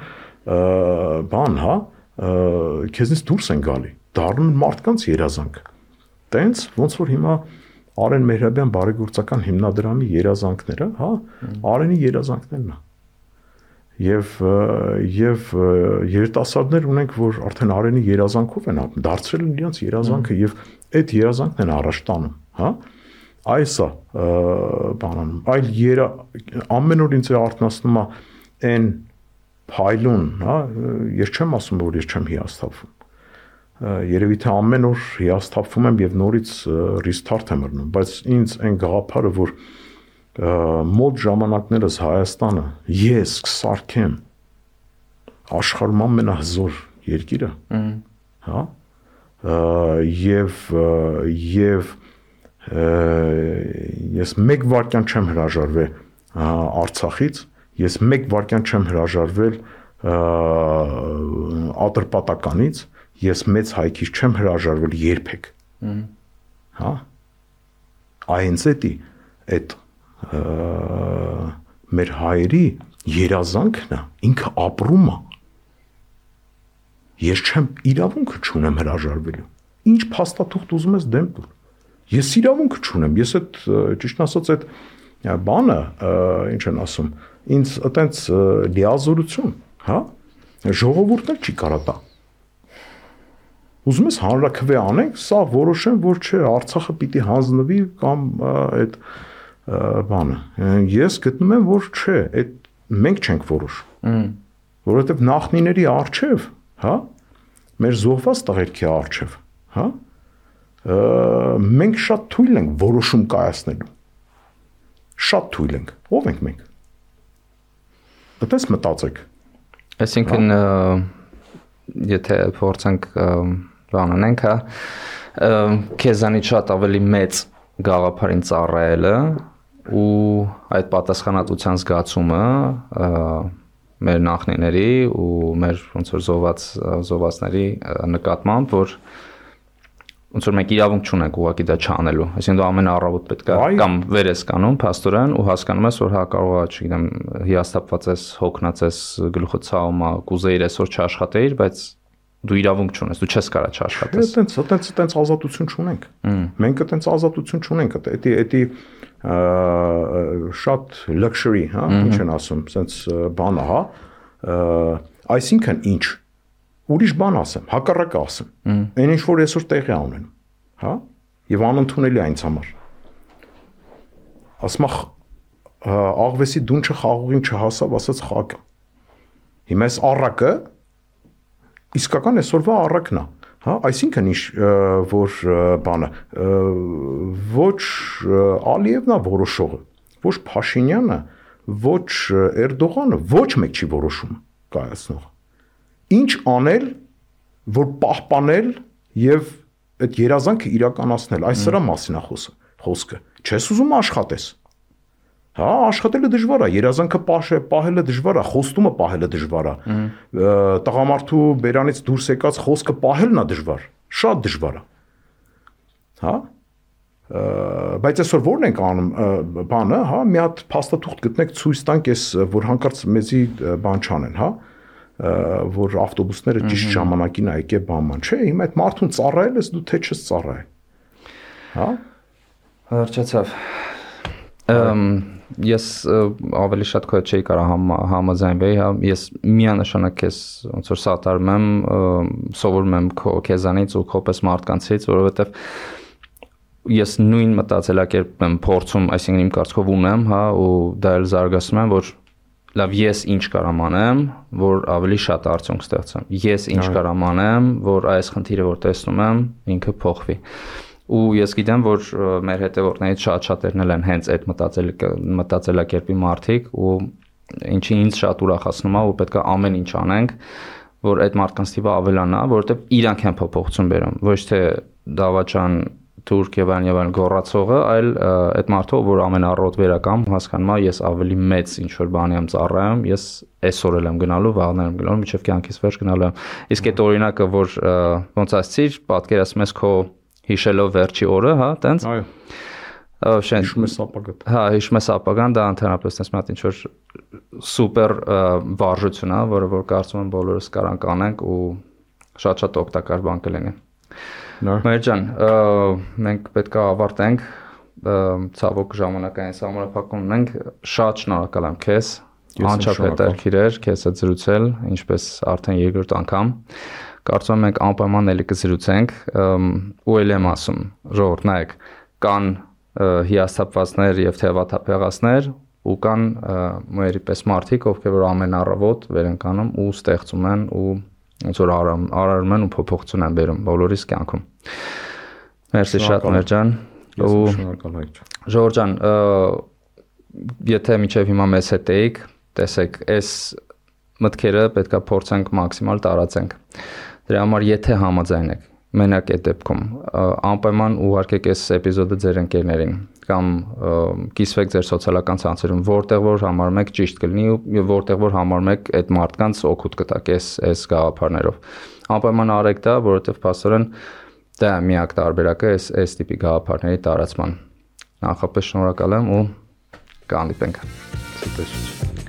բան, հա, քեզնից դուրս են գալի, դառնում են մարդկանց երազանք։ Տենց ոնց որ հիմա Արեն Մեհրաբյան բարեգործական հիմնադրամի երազանքները, հա, Արենի երազանքներն է։ Եվ երիտասարդներ ունենք, որ արդեն Արենի երազանքով են ապրում, դարձրել են իրենց երազանքը եւ այդ երազանքն են առաջ տանում, հա։ Այսա բանանում, այլ ամեն օր ինձ արթնացնում է այն փայլուն, հա, ես չեմ ասում, որ ես չեմ հիասթափվում։ Երևի թե ամեն օր հիասթափվում եմ եւ նորից restart եմ անում, բայց ինձ այն գաղափարը, որ մոտ ժամանակներս Հայաստանը ես կսարքեմ աշխարհում ամենահզոր երկիրը, հա, եւ ես 1 վայրկյան չեմ հրաժարվել Արցախից, ես 1 վայրկյան չեմ հրաժարվել Ատրպատականից, ես մեծ հայքից չեմ հրաժարվել երբեք։ Հա։ Այնց այդ մեր հայերի երազանքն է, ինքը ապրում է։ Ես չեմ իրավունքը չունեմ հրաժարվելու։ Ինչ փաստաթուղթ ուզում ես դեմ տուր։ Ես իրավունքը չունեմ։ Ես այդ ճիշտ ասած այդ բանը, ինչ են ասում, ինձ այտենց լիազորություն, հա, ժողովուրդն էլ չի կարա տա։ Ուզում ես հանրաքվե անենք, սա որոշեմ, որ չէ, Արցախը պիտի հանձնվի կամ այդ բանը։ Ես գտնում եմ, որ չէ, այդ մենք չենք որոշում։ Որովհետև նախնիների արչև, հա, մեր զոհված տղերքի արչև, հա, մենք շատ թույլ ենք որոշում կայացնելու։ Շատ թույլ ենք։ Ո՞վ ենք մենք։ Այդպես մտածեք։ Այսինքն եթե փորձենք բանանենք, հա, քեզանից շատ ավելի մեծ գաղափարին ծառայելը ու այդ պատասխանատվության զգացումը մեր նախնիների ու մեր ոնց որ զոհվածների նկատմամբ, որ ոնց որ մենք իրավունք չունենք ուղղակի դա չանելու։ Այսինքն դու ամեն առավոտ պետք է կամ վեր ես կանում փաստորեն ու հասկանում ես, որ հա կարող է, չգիտեմ, հիասթափված ես, հոգնած ես, գլուխը ցավում է, կուզեիր այսօր չաշխատեիր, բայց դու իրավունք չունես, դու չես կարող չաշխատես։ Այտենց ազատություն չունենք։ Մենք այտենց ազատություն չունենք, դա շատ luxury, հա, ինչ են ասում, sense բանը, հա, այսինքն ինչ ուրիշ բան ասեմ, հակառակը ասեմ։ Այն ինչ որ այսօր տեղի ունենում, հա, եւ անընդունելի այնց համար։ Ասում աղվեսի դունչը խաղողին չհասավ, ասած խակը։ Հիմա այս առակը իսկական այսօրվա առակն է, հա, այսինքն ինչ որ բանը ոչ Ալիևն է որոշողը, ոչ Փաշինյանը, ոչ Էրդողանը, ոչ մեկ չի որոշում կայացնող։ Ինչ անել, որ պահպանել եւ այդ երազանքը իրականացնել, այս սրա մասին է խոսքը։ Չես ուզում աշխատես։ Հա, աշխատելը դժվար է, երազանքը պահելը դժվար է, խոստումը պահելը դժվար է։ Տղամարդու բերանից դուրս եկած խոսքը պահելն է դժվար, շատ դժվար է։ Հա։ Բայց այսօր ո՞րն ենք անում բանը, հա, մի հատ փաստաթուղթ գտնեք, ցույց տանք, ես որ հանկարծ մեզի բան չանեն, հա, որ ավտոբուսները ճիշտ ժամանակին ա եկե բանման, չէ, հիմա այդ մարդուն ծառայել ես դու թե չես ծառայել։ Հա։ Հրճացավ։ Ես ավելի շատ քո հետ չէի կարող համաձայնվել, հա, ես միանշանակ ես ոնց որ սատարում եմ, սովորում եմ քեզանից ու քոպես մարդկանցից, որովհետև ես նույն մտածելակերպ եմ փորձում, այսինքն իմ կարծիքով ունեմ, հա, ու դա էլ զարգացնում եմ, որ լավ ես ինչ կարամ անեմ, որ ավելի շատ արդյունք ստեղծեմ։ Ես ինչ կարամ անեմ, որ այս խնդիրը որ տեսնում եմ, ինքը փոխվի։ Ու ես գիտեմ, որ մեր հետևորդներից շատ-շատերն են հենց այդ մտածելակերպի մարդիկ ու ինչի ինձ շատ ուրախացնում է ու պետք է ամեն ինչ անենք, որ այդ մարդկանց թիվը ավելանա, որովհետև իրանք են փոփոխություն բերում, ոչ թե դավաճան Թուրք եւ այլն գոռացողը, այլ այդ մարդը, որ ամեն առօր վերակամ հասկանում է, ես ավելի մեծ ինչ որ բանի եմ ծառայում, ես այսօր էլ եմ գնալու, վաղն եմ գնալու, մինչեւ կյանքից վերջ գնալու եմ։ Իսկ այդ օրինակը, որ ոնց ասցիր, պատկերացնում ես քո հիշելով վերջի օրը, հա, տենց։ Այո։ Հիշում ես ապագան։ Հա, հիշում ես ապագան, դա ընդհանրապես տես մի հատ ինչ որ սուպեր վարժություն է, որը որ կարծում եմ բոլորս կարանք անենք ու շատ-շատ օգտակար բան կլինի։ Մերջան, մենք պետք է ավարտենք, ցավոք ժամանակային սահմանափակում ունենք, շատ շնորհակալ եմ քեզ, անչափ հետաքրքիր քեզ հետ զրուցել, ինչպես արդեն երկրորդ անգամ, կարծում եմ մենք անպայման էլի կզրուցենք, ու էլ եմ ասում, ժողովուրդ նայեք, կան հիասթափվածներ եւ թևաթափեղածներ ու կան մերի պես մարդիկ, ովքեր որ ամեն առավոտ վեր են կանում ու ստեղծում են ու ոնց որ արարում են ու փոփոխություն են բերում բոլորիս կյանքում։ Մերսի շատ Մերջան։ Ես շնորհակալ եմ։ Ժողովուրդ ջան, եթե միջև հիմա մեզ հետ եք, տեսեք, այս մտքերը պետքա փորձենք մաքսիմալ տարածենք։ Դրա համար եթե համաձայն եք, մենակ այդ դեպքում անպայման ուղարկեք այս էպիզոդը ձեր ընկերներին կամ կիսվեք ձեր սոցիալական ցանցերում, որտեղ որ համարում եք ճիշտ կլինի ու որտեղ որ համարում եք այդ մարդկանց օգուտ կտակ այս գաղափարներով։ Անպայման արեք դա, որովհետև փաստորեն դա միակ տարբերակը այս տիպի գաղափարների տարածման։ Նախապես շնորհակալ եմ ու կհանդիպենք։ Ցտեսություն։